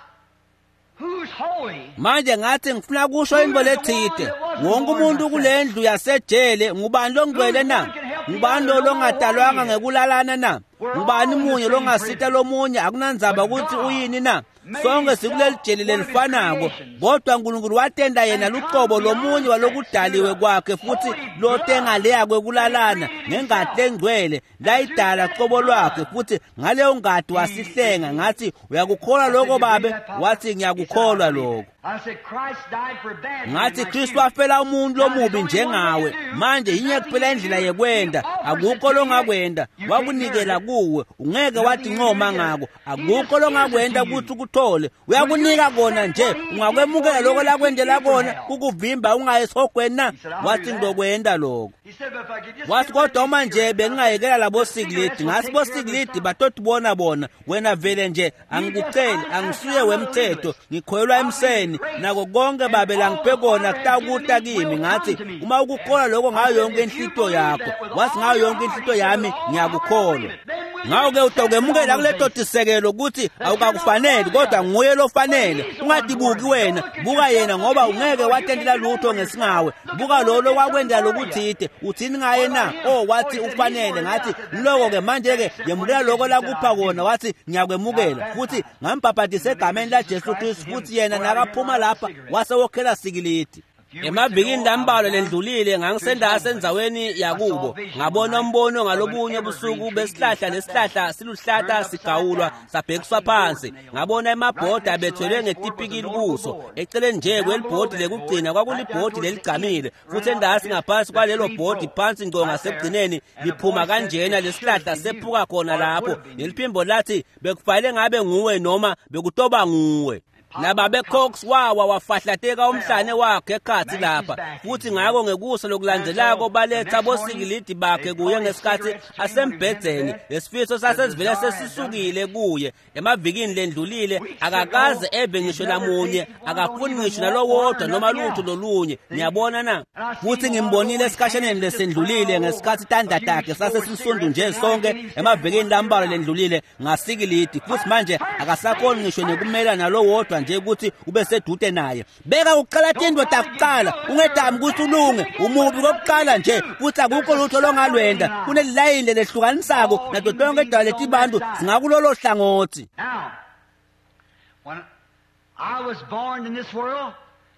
who's holy. Manje ngathi ngifuna kusho into lethide. Wonke umuntu kulendlu yasejele ngubani longcwele na? Ngubani lo longadalwanga ngekulalana na? Ngubani munye longasita lomunye akunandzaba ukuthi uyini na? Sonke sikuleli jele lelifanako, kodwa uNkulunkulu watenda yena luqobo lomunye walokudaliwe kwakhe futhi lotengaleya kwekulalana ngengati lengcwele layidala qobo lwakhe, futhi ngaleyo ngati wasihlenga. Ngathi uyakukholwa lokho babe? Wathi ngiyakukholwa lokho. Ngathi Kristu wafela umuntu lomubi njengawe. Manje yinye kuphela indlela yekwenda, akukho longakwenda, wakunikela kuwe, ungeke wathi ncoma ngako, akukho longakwenda ukuthi ukuthole, uyakunika kona nje, ungakwemukela lokho lakwendela kona kukuvimba ungayi esihogweni na? Wathi ngizokwenda lokho. Wathi kodwa uma nje bengingayekela labo sikilidi. Ngathi bosikilidi batotibona bona, wena vele nje angikuceli, angisuye wemthetho, ngikholelwa emseni nako konke babe langiphe kona kutakuta kimi. Ngathi uma ukukholwa lokho ngayo yonke inhlito yakho. Wathi ngayo yonke inhlito yami ngiyakukholwa. Ngawo-ke utokwemukela kuleto tisekelo ukuthi awukakufaneli, kodwa nguye lofanele. Ungatibuki wena, buka yena, ngoba ungeke watendela lutho ngesingawe. Buka lo lokwakwenda lokuthide, uthini ngaye na? Oh, wathi ufanele. Ngathi ngiloko-ke manje-ke yemukela lokho lakupha kona. Wathi ngiyakwemukela, futhi ngambhabhatisa egameni laJesu Kristu, futhi yena nakaphuma lapha wase wokhela sikilidi. Emavikini lambalwa lendlulile ngangisendase endzaweni yakubo, ngabona umbono ngalobunye busuku besihlahla lesihlahla siluhlata sigawulwa sabhekiswa phansi. Ngabona emabhodi abethelwe ngetipikili kuso, eceleni nje kwelibhodi lekugcina kwakulibhodi leligcamile, futhi endasi ngaphansi kwalelo bhodi phansi ngco ngasekugcineni liphuma kanjena lesihlahla sephuka khona lapho. Leliphimbo lathi bekufanele ngabe nguwe noma bekutoba nguwe. Nababe Cox wawa wafahlateka umhlane wakhe ekhathi lapha, futhi ngako ngekusa lokulandzelako baletha bosikilidi bakhe kuye ngesikhathi asembhedzeni. Lesifiso sasesivele sesisukile kuye emavikini lendlulile, akakaze eve ngisho namunye, akafuni ngisho nalowodwa noma lutho lolunye. Niyabona na? Futhi ngimbonile esikhashaneni lesendlulile ngesikhathi tandla takhe sasesisundu nje sonke emavikini lambalwa lendlulile ngasikilidi, futhi manje akasakhoni ngisho nekumela nalowodwa kodvwa nje ukuthi ube sedude naye. Beka kuqala tintfo takuqala, ungedami ukuthi ulunge, umubi kokuqala nje futhi akukho lutho longalwenda. Kunelilayini lelehlukanisako nato tonke tidalwa letibantu singakulolo hlangothi. Now, when I was born in this world,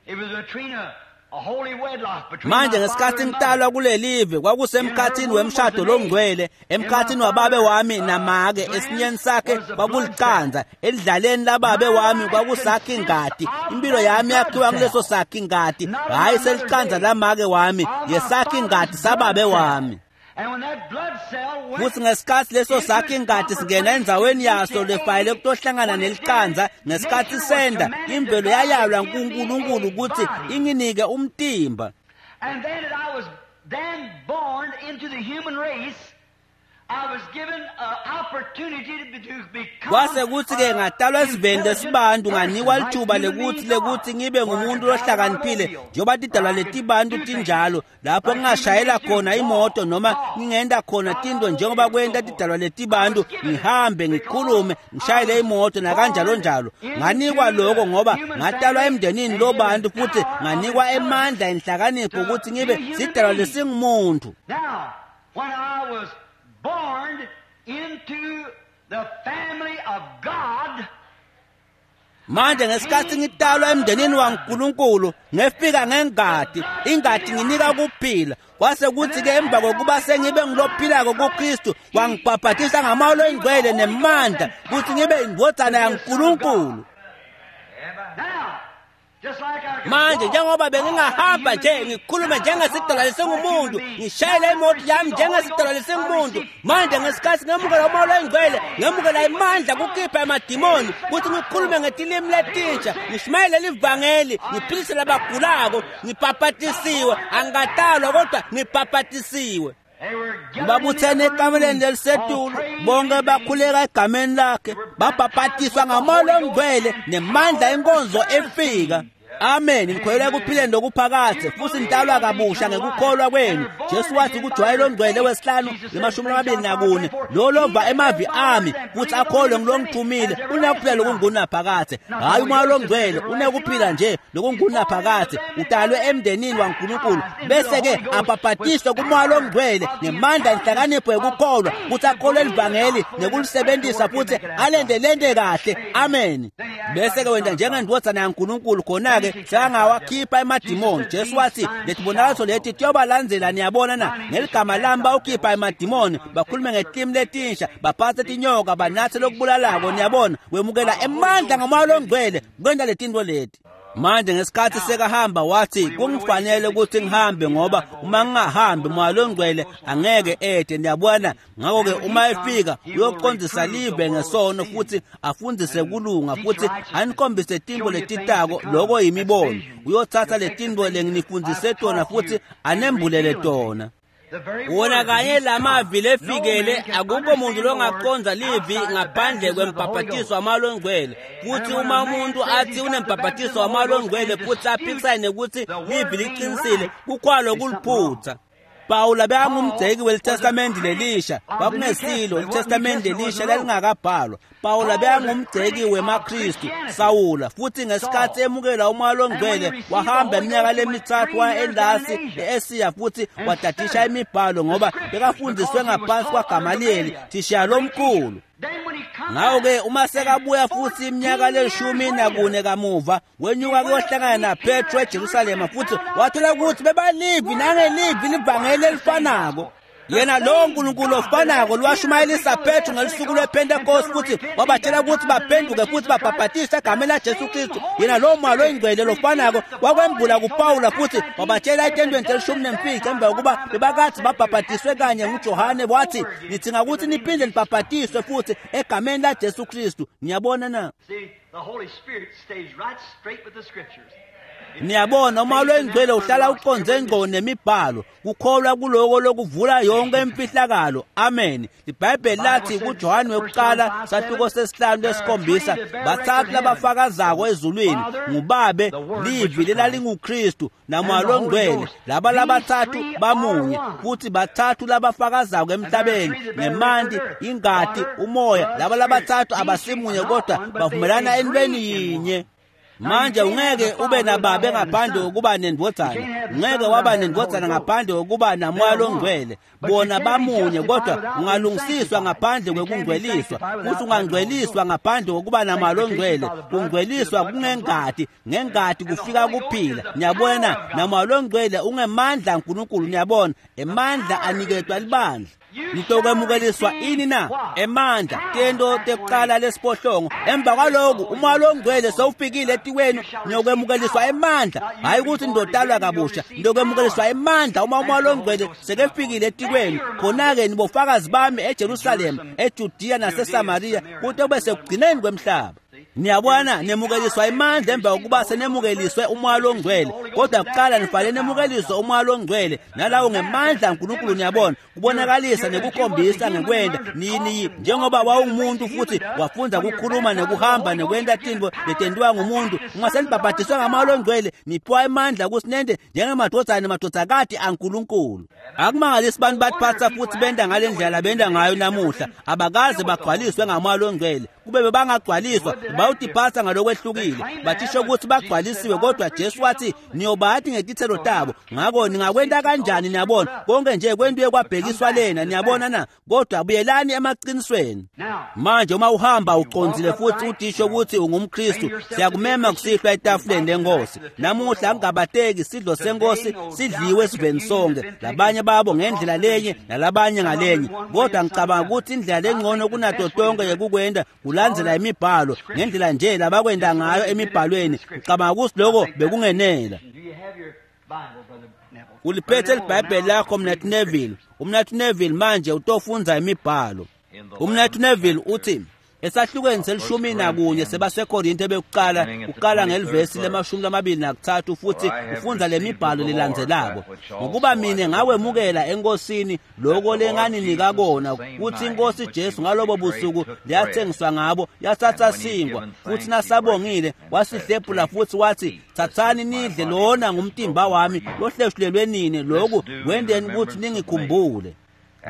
it was between a holy wedlock between Manje my ngesikhathi father and ngitalwa mother. kulelive kwakusemkhathini wemshado longcwele, emkhathini wababe wami namake, esinyeni sakhe kwakuliqanza, edlaleni lababe wami kwakusakha ingadi. Impilo yami yakhiwa kuleso sakha ingadi, hhayi seliqanza lamake wami, ngesakha ingadi sababe wami. And when that blood cell went Futhi ngesikhathi leso sakhe ingadi singena endzaweni yaso lefayele kutohlangana neliqanza, ngesikhathi senda imvelo yayalwa nguNkulunkulu ukuthi inginike umtimba. And then that I was then born into the human race, I was given an opportunity to become Kwase kuthi-ke ngatalwa esiveni intelligent lesibantu nganikwa person, lithuba like human lekuthi beings are. lekuthi ngibe Where I ngumuntu could drive an lohlakaniphile automobile, njengoba tidalwa where I could letibantu do things tinjalo, lapho like human ngingashayela beings do, khona imoto noma walk, ngingenta khona drive tintfo an njengoba automobile, kwenta so forth. tidalwa I letibantu, was given it ngihambe because ngikhulume I ngishayele was imoto nakanjalo born njalo. Nganikwa into lokho the ngoba human ngatalwa family emndenini and given lobantu futhi power of nganikwa intelligence emandla enhlakanipho to ukuthi be ngibe a human sidalwa being. lesingumuntu. Now, when I was born into the family of God, Manje ngesikhathi ngitalwa emndenini waNkulunkulu ngefika ngengadi, ingadi nginika kuphila. Kwase kuthi ke emva kokuba sengibe ngilophilako kuKristu, wangibhabhatisa ngamoya longcwele nemandla ukuthi ngibe indvodzana yaNkulunkulu. now, just like I could Manje walk, njengoba talk like a bengingahamba human nje being, ngikhulume now I njengesidalwa talk like a lesingumuntu, human being. ngishayele Now I imoto receive yami the Holy njengesidalwa Ghost, I lesingumuntu. receive Manje power. ngesikhathi ngemukela umoya longcwele, ngemukela imandla kukhipha emadimoni, ukuthi ngikhulume ngetilimi letintsha, ngishumayele livangeli, ngiphilise labagulako, ngibhabhatisiwe, angikatalwa kodwa ngibhabhatisiwe. They were gathered in the Babuthene upper ekameleni room, all lelisetulu, praying bonke his name. bakhuleka egameni lakhe, They were babhabhatiswa baptized with the ngamoya Holy Ghost longcwele and nemandla power for enkonzo efika. service. Amen. Ngikholelwa ekuphileni lokuphakadze futhi nitalwa kabusha ngekukholwa kwenu. Jesu wathi kuJohane longcwele wesihlanu le-24, lo lova emavi ami futhi akholwe ngilongithumile unekuphila lokungunaphakadze. Hhayi umoya longcwele, unekuphila nje lokungunaphakadze. Utalwe emndenini waNkulunkulu bese-ke abhabhatiswe kumoya longcwele ngemandla enhlakanipho yekukholwa ukuthi akholwe livangeli nekulisebenzisa futhi alente lente kahle. Amen. Bese-ke wenta njengendvodzana yaNkulunkulu, khona-ke sekangawakhipha emadimoni. Jesu wathi letibonakaliso leti tiyobalandzela, niyabona na, ngeligama lami bawukhipha emadimoni, bakhulume ngetilimi letinsha, baphatse tinyoka, banatse lokubulalako. Niyabona, wemukela emandla ngamoya longcwele kwenta letintfo leti. Manje ngesikhathi sekahamba wathi kungifanele ukuthi ngihambe ngoba uma ngingahambi moya longcwele angeke ede, niyabona. Ngakho-ke uma efika uyoqondisa live ngesono futhi afundzise kulunga futhi anikhombise tintfo letitako, loko yimibono. Uyothatha letintfo lenginifundzise tona futhi anembulele tona. The very Wona word kanye he lamavi come. No lefikele, man can akukho muntu understand the word longaconza livi outside the ngaphandle baptism of the Holy kwembhabhatiso Ghost. wamoya longcwele. Futhi And when uma a man umuntu says athi he's got the unembhabhatiso baptism of the wamoya Holy Ghost longcwele and futhi disputes aphikisane nekuthi the livi word being liqinisile, right, kukhwalo there's something wrong. kuliphutha. Pawula Paul bekangumgceki was a welitestamende critic lelisha, of the New kwakungesilo Testament. It wasn't New litestamende Testament lelisha wasn't wrote. lalingakabhalwa. Pawula Paul was a bekangumgceki critic of wemaKristu, Christianity, Sawula, futhi ngesikhathi Saul. emukela umoya And when he longcwele received the wahamba Holy iminyaka Ghost, he went lemithathu 3 waya years down in endasi Asia e-Asiya futhi and wadadisha studied imibhalo the ngoba scriptures bekafundiswe because he was ngaphansi taught under kwaGamaliyeli, Gamaliel, thisha the great teacher. lomkhulu. Then when he come Ngakho-ke back, uma and sekabuya futhi iminyaka 14 years lelishumi later, nakune kamuva, he wenyuka went up to kuyohlangana meet Peter naPetro at eJerusalema Jerusalem and futhi found out wathola they were ukuthi bebalivi word nangelivi by livangeli word the same elifanako. gospel. The Yena lowo same Nkulunkulu God that ofanako had Peter to lwashumayelisa preach on the day Petro of ngelusuku Pentecost and tell lwePentekoste them to futhi repent, be wabatshela ukuthi baptized in the name baphenduke of futhi Jesus Christ. babhabhatiswe egameni That laJesu same Kristu. Holy Yena lowo moya Spirit loyingcwele lofanako revealed to Paul wakwembula and he told him kuPawula in Acts futhi 19, wabatshela if etendweni they'd done telishumi it that nemfica time, emva kokuba one time, but God bebakathi said you have babhabhatiswe to be kanye nguJohane baptized wathi over again nidzinga in the ukuthi name of niphinde Jesus Christ. nibhabhatiswe futhi egameni laJesu Kristu. Niyabona na? See, the Holy Spirit stays right straight with the Scriptures. It Niyabona umoya stays in that longcwele word uhlala rocks uqonze every ngqo mystery. nemibhalo, kukholwa kuloko lokuvula yonke imfihlakalo. Amen. The IBhayibheli Bible lathi says, kuJohane 1 John wokuqala 5 sahluko 7, sesihlanu there are three lesikhombisa, that bear record bathathu in heaven, labafakazako the ezulwini, Father, nguBabe, the Word, which livi was Christ, lelalinguKristu, namoya and the Holy longcwele. Ghost. Laba These labathathu three are bamunye, one. futhi bathathu labafakazako And there are emhlabeni, three that bear record ngemanti, earth, ingati, water, umoya. blood, Laba spirit. labathathu These three are abasimunye not kodwa one, but they bavumelana agree entweni in one. yinye. Manje ungeke ube nababe ngaphandle kokuba nendvodzana, ungeke waba nendvodzana ngaphandle kokuba namoya longcwele. Bona bamunye, kodwa ungalungisiswa ngaphandle kwekungcweliswa, futhi ungangcweliswa ngaphandle kokuba namoya longcwele. Kungcweliswa kungengati, ngengati kufika kuphila. Niyabona, namoya longcwele ungemandla aNkulunkulu. Niyabona, emandla aniketwa libandla. Nitokwemukeliswa ini na? Emandla, tento tekuqala lesiphohlongo. Emva kwaloku umoya longcwele sewufikile etikwenu, niyokwemukeliswa emandla. Hhayi ukuthi nizotalwa kabusha, niyokwemukeliswa emandla uma umoya longcwele sekefikile etikwenu. Khona-ke nibofakazi bami eJerusalema, eJudiya naseSamariya, kute kube sekugcineni kwemhlaba. Niyabona, nemukeliswa emandla emva kokuba senemukeliswe umoya longcwele. Kodwa kuqala nifanele nemukeliswe umoya longcwele, nalawo ngemandla aNkulunkulu. Niyabona, kubonakalisa nekukhombisa ngekwenda nini. Njengoba wawungumuntu futhi wafunda ukukhuluma nekuhamba nekwenta tintfo letentiwa ngumuntu, uma senibhabhadiswe ngamoya longcwele niphiwa emandla ukuthi nente njengemadvodzana nemadvodzakati aNkulunkulu. Akumangalisi bantu batiphatsa futhi benta ngale ndlela benta ngayo namuhla. Abakaze bagcwaliswe ngamoya longcwele. Kube bebangagcwaliswa bayotiphatsa ngalokwehlukile, bathisho ukuthi bagcwalisiwe, kodwa Jesu wathi niyobati ngetithelo tabo. Ngakho ningakwenta kanjani? Niyabona, konke nje kwentiwe kwabhekiswa lena. Niyabona na? Kodwa buyelani emaqinisweni. Manje uma uhamba ucondzile futhi utisho ukuthi ungumKristu, siyakumema kusihlwa etafuleni lenkosi. Namuhla angabateki sidlo senkosi sidliwe esiveni sonke, labanye babo ngendlela lenye nalabanye ngalenye, kodwa ngicabanga ukuthi indlela lengcono kunato tonke yekukwenta kulandzela imibhalo ngendlela nje labakwenta ngayo emibhalweni. Ngicabanga ukuthi lokho bekungenela. Uliphethe libhayibheli lakho, Mnathu Neville? Umnathu Neville manje utofundza imibhalo. Umnathu Neville uthi esahlukweni se-11 sebaseKorinte bekuqala, uqala ngelivesi le-23 futhi ufundza lemibhalo lelandzelako. Ngokuba mina ngawemukela enkosini lokho lenganinika kona, kuthi inkosi Jesu ngalobo busuku leyathengiswa ngabo yathatha sinkwa, futhi nasabongile wasihlephula futhi wathi, thathani nidle, lona ngumtimba wami lohleshulelwe nini, lokhu kwenteni ukuthi ningikhumbule.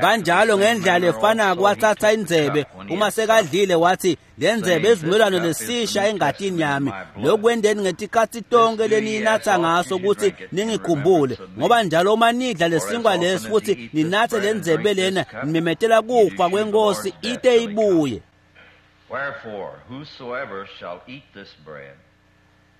Kanjalo ngendlela efanako wathatha indzebe uma sekadlile wathi, le ndzebe isivumelwano lesisha engatini yami, lokhu kwenteni ngetikhatsi tonke leniyinatsa ngaso ukuthi ningikhumbule. Ngoba njalo uma nidla lesinkwa lesi futhi ninatse le ndzebe lena, nimemetela kufa kwenkosi ite ibuye. Wherefore, whosoever shall eat this bread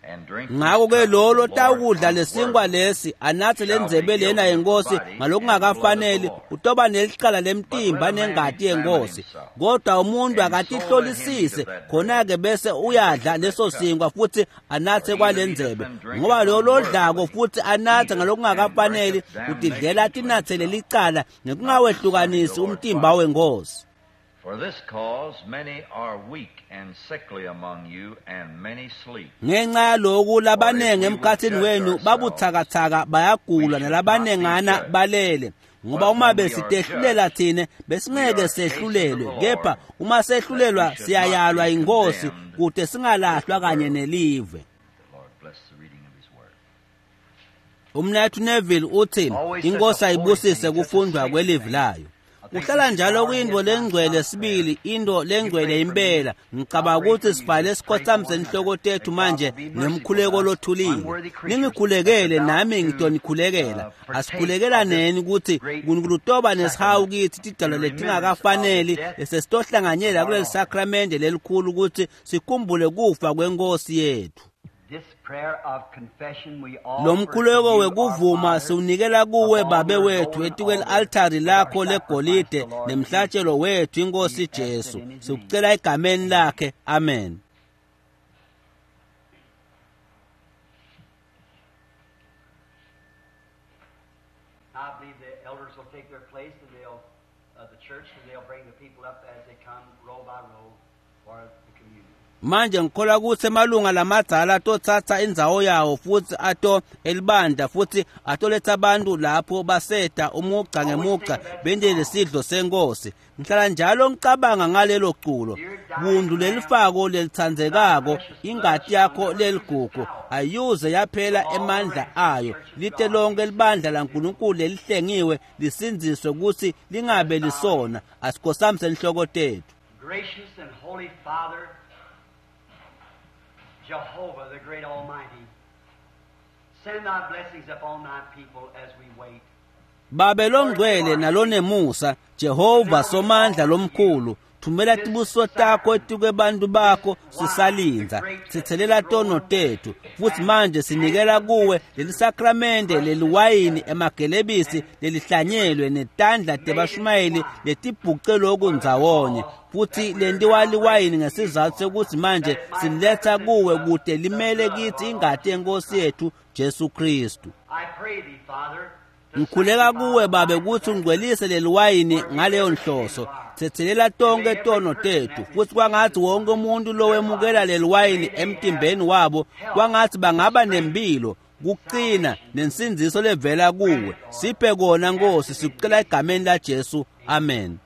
and drink this Ngakho-ke cup of lolo the Lord tawukudla lesinkwa unworthily lesi anatse le shall be ndzebe lena guilty of the yenkosi body and the blood of the ngalokungakafaneli, Lord. utoba nelicala But lemtimba let a man nengati examine yenkosi. himself, Kodwa umuntu and so let him eat akatihlolisise, of that bread khona-ke bese and drink uyadla of that leso cup. sinkwa futhi anatse For he kwale that eateth ndzebe. and drinketh Ngoba lo lodlako unworthily futhi anatse eateth and ngalokungakafaneli drinketh utidlela damnation to tinatsele himself, licala not discerning ngekungawehlukanisi the Lord's umtimba body. wenkosi. For this cause many are weak and sickly among you, and many sleep. Ngenxa yaloku For if labanengi we would emkhathini judge wenu ourselves, babuthakathaka we bayagula should not be nalabanengana judged. balele. Ngoba But uma when we are besitehlulela judged, thine we besingeke are chastened of the sehlulelwe, kepha Lord, uma that we sehlulelwa should not siyayalwa be inkosi condemned kute with singalahlwa the kanye world. nelive. The Lord bless the reading of his word. Umnathu Neville uthi Always such a inkosi holy ayibusise thing, such a kufundwa sacred kwelivi thing. layo. I think we Kuhlala should njalo bow our kuyinto heads now and lengcwele stop prayer. sibili, into You lengcwele pray for me, impela. I'll Ngicabanga pray for ukuthi you. sifale Let's pray for sikhothamise one another inhloko tethu that God manje will be merciful to ngemkhuleko us, lothulile. unworthy creatures that's Ningikhulekele about nami to ngitonikhulekela. partake of this Asikhulekelaneni ukuthi great uNkulunkulu utoba nesihawu sacrament kithi tidalwa in remembrance of the letingakafaneli death lesesitohlanganyela of our kuleli Lord. sakramende lelikhulu ukuthi sikhumbule kufa kwenkosi yethu. This prayer of confession we Lo offer to mkhuleko you, our wekuvuma Father, siwunikela kuwe upon Babe your wethu golden etikweli altar altari with our lakho sacrifice, legolide the Lord Jesus. nemhlatshelo wethu inkosi We ask it Jesu. in his name. Sikucela egameni lakhe. Amen. I believe the elders will take their place and they'll, the church, and they'll bring the people up as they come row by row for the communion. Manje ngikholwa ukuthi emalunga lamadzala atothatha indzawo yawo futhi ato elibandla futhi atoletha abantu lapho baseta umugca Always think ngemugca of that bente song. lesidlo senkosi. Ngihlala njalo ngicabanga ngalelo culo. Dear dying Bundu Lamb, lelifako thy lelitsandzekako, precious blood ingati shall yakho never lose its leligugu power ayuze till yaphela all the emandla ranks of the ayo. church of Lite God lonke be libandla saved. laNkulunkulu lelihlengiwe lisindziswe ukuthi lingabe Let's bow our lisona. heads. Asikhosamise inhloko tethu. Gracious and holy Father, Jehovah, the great Almighty, send thy blessings upon thy people as we wait. Babe longcwele nalonemusa, Jehova Somandla lomkhulu, thumela tibusiso takho etikwebantu bakho sisalindza. Sithelela tono tethu, futhi manje sinikela kuwe leli sakramente leliwayini emagelebisi lelihlanyelwe netandla tebashumayeli letibhuce lokhu ndzawonye, futhi lentiwa liwayini ngesizathu sekuthi manje siletha kuwe kude limele kithi ingati yenkosi yethu Jesu Kristu. I pray thee, Father, to Ngikhuleka sanctify kuwe babe thy kutsi ungcwelise leliwayini ngaleyo nhloso. Thethelela tonke tono tethu, futhi kwangathi wonke umuntu lowemukela leliwayini emtimbeni wabo, kwangathi bangaba nempilo, kuqina nensindziso levela kuwe. Siphe kona Nkosi, sikucela egameni la Jesu. Amen.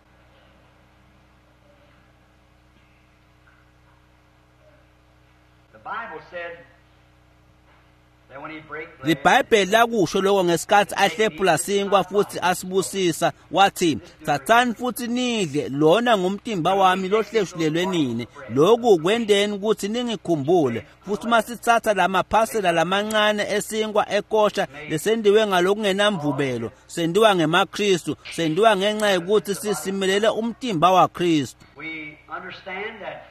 The Bible said that when he break bread, LiBhayibheli lakusho lokho ngesikhathi ahlephula sinkwa futhi asibusisa, wathi, "Thathani futhi nidle, lona ngumtimba wami lohleshulelwe nini. Lokhu kwenteni ukuthi ningikhumbule." Futhi uma sithatha lamaphasela lamancane esinkwa ekosha lesendiwe ngalokungenamvubelo, sendiwa ngemaKristu, sendiwa ngenxa yokuthi sisimelele umtimba waKristu. we understand that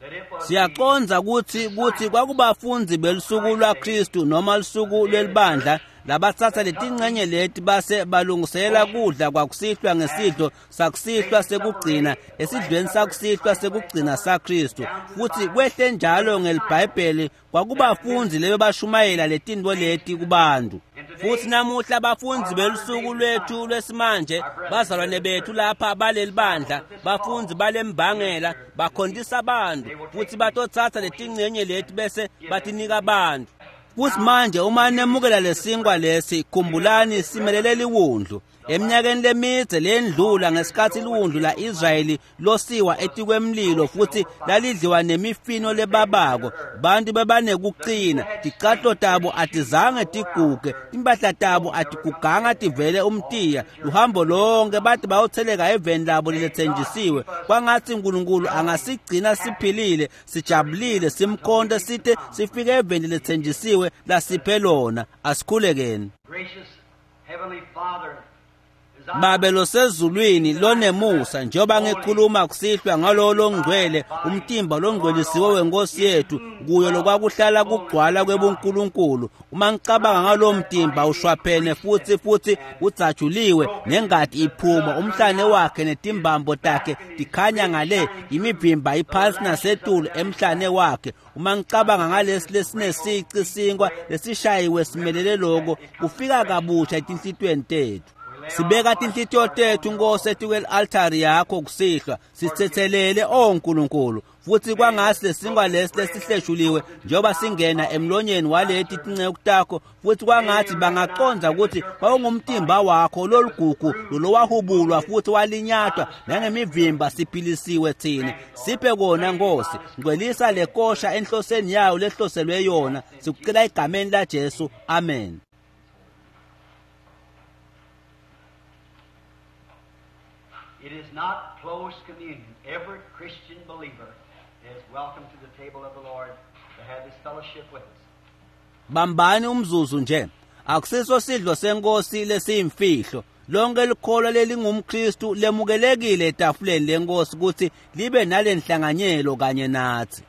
that it was the Siyaqonza ukuthi kwakubafundi belusuku lwaKristu noma lusuku lwelibandla labathatha letincenye leti base balungiselela kudla kwakusihlwa ngesidlo sakusihlwa sekugcina esidlweni sakusihlwa sekugcina saKristu. Futhi kwehle njalo ngelibhayibheli kwakubafundi lebe bashumayela letinto leti kubantu. Futhi namuhla abafundi belusuku lwethu lwesimanje, bazalwane bethu lapha baleli bandla, bafundi balembangela, bakhontisa abantu, futhi batothatha letincenye leti bese batinika abantu. Futhi manje uma nemukela lesinkwa lesi, khumbulani simelele liwundlu. Eminyakeni lemidze lendlula ngesikhathi liwundlu la-Israyeli losiwa etikwemlilo futhi lalidliwa nemifino lebabako, bantu bebanekuqina, ticatlo tabo atizange tiguge, timpahla tabo atiguganga tivele umtiya. Luhambo lonke bathi bayotheleka eveni labo lelethenjisiwe. Kwangathi uNkulunkulu angasigcina siphilile, sijabulile, simkhonte site sifike eveni lethenjisiwe lasiphe lona. Asikhulekeni. gracious Heavenly Father, as I Babe losezulwini lonemusa, njengoba ngikhuluma kusihlwa ngalowo longcwele, umtimba longcwelisiwe wenkosi yethu, kuyo lokwakuhlala kugcwala kwebunkulunkulu. Uma ngicabanga ngalowo mtimba ushwaphene futhi udzajuliwe nengati iphuma, umhlane wakhe netimbambo takhe tikhanya ngale, imivimba iphansi nasetulu emhlane wakhe. Uma ngicabanga ngalesi lesinesici sinkwa lesishayiwe simelele loko, kufika kabusha etinhlitiyweni tethu. Sibeka tinhlitiyo tethu Nkosi etikwe-altari yakho kusihlwa, sithethelele o Nkulunkulu, futhi kwangasi lesinkwa lesi lesihleshuliwe njengoba singena emlonyeni waleti tinceku takho, futhi kwangathi bangaqonda ukuthi kwakungumtimba wakho lolugugu lolowahubulwa futhi walinyatwa nangemivimba siphilisiwe thina. Siphe kona Nkosi, ngcwelisa le kosha enhloseni yayo lehloselwe yona. Sikucela egameni la Jesu, amen. It is not closed communion. Every Christian believer is welcome to the table of the Lord to have this fellowship with us. Bambani umzuzu nje. Akusiso sidlo senkosi lesiyimfihlo. Lonke likholwa lelingumKristu lemukelekile etafuleni lenkosi ukuthi libe nalenhlanganyelo kanye nathi.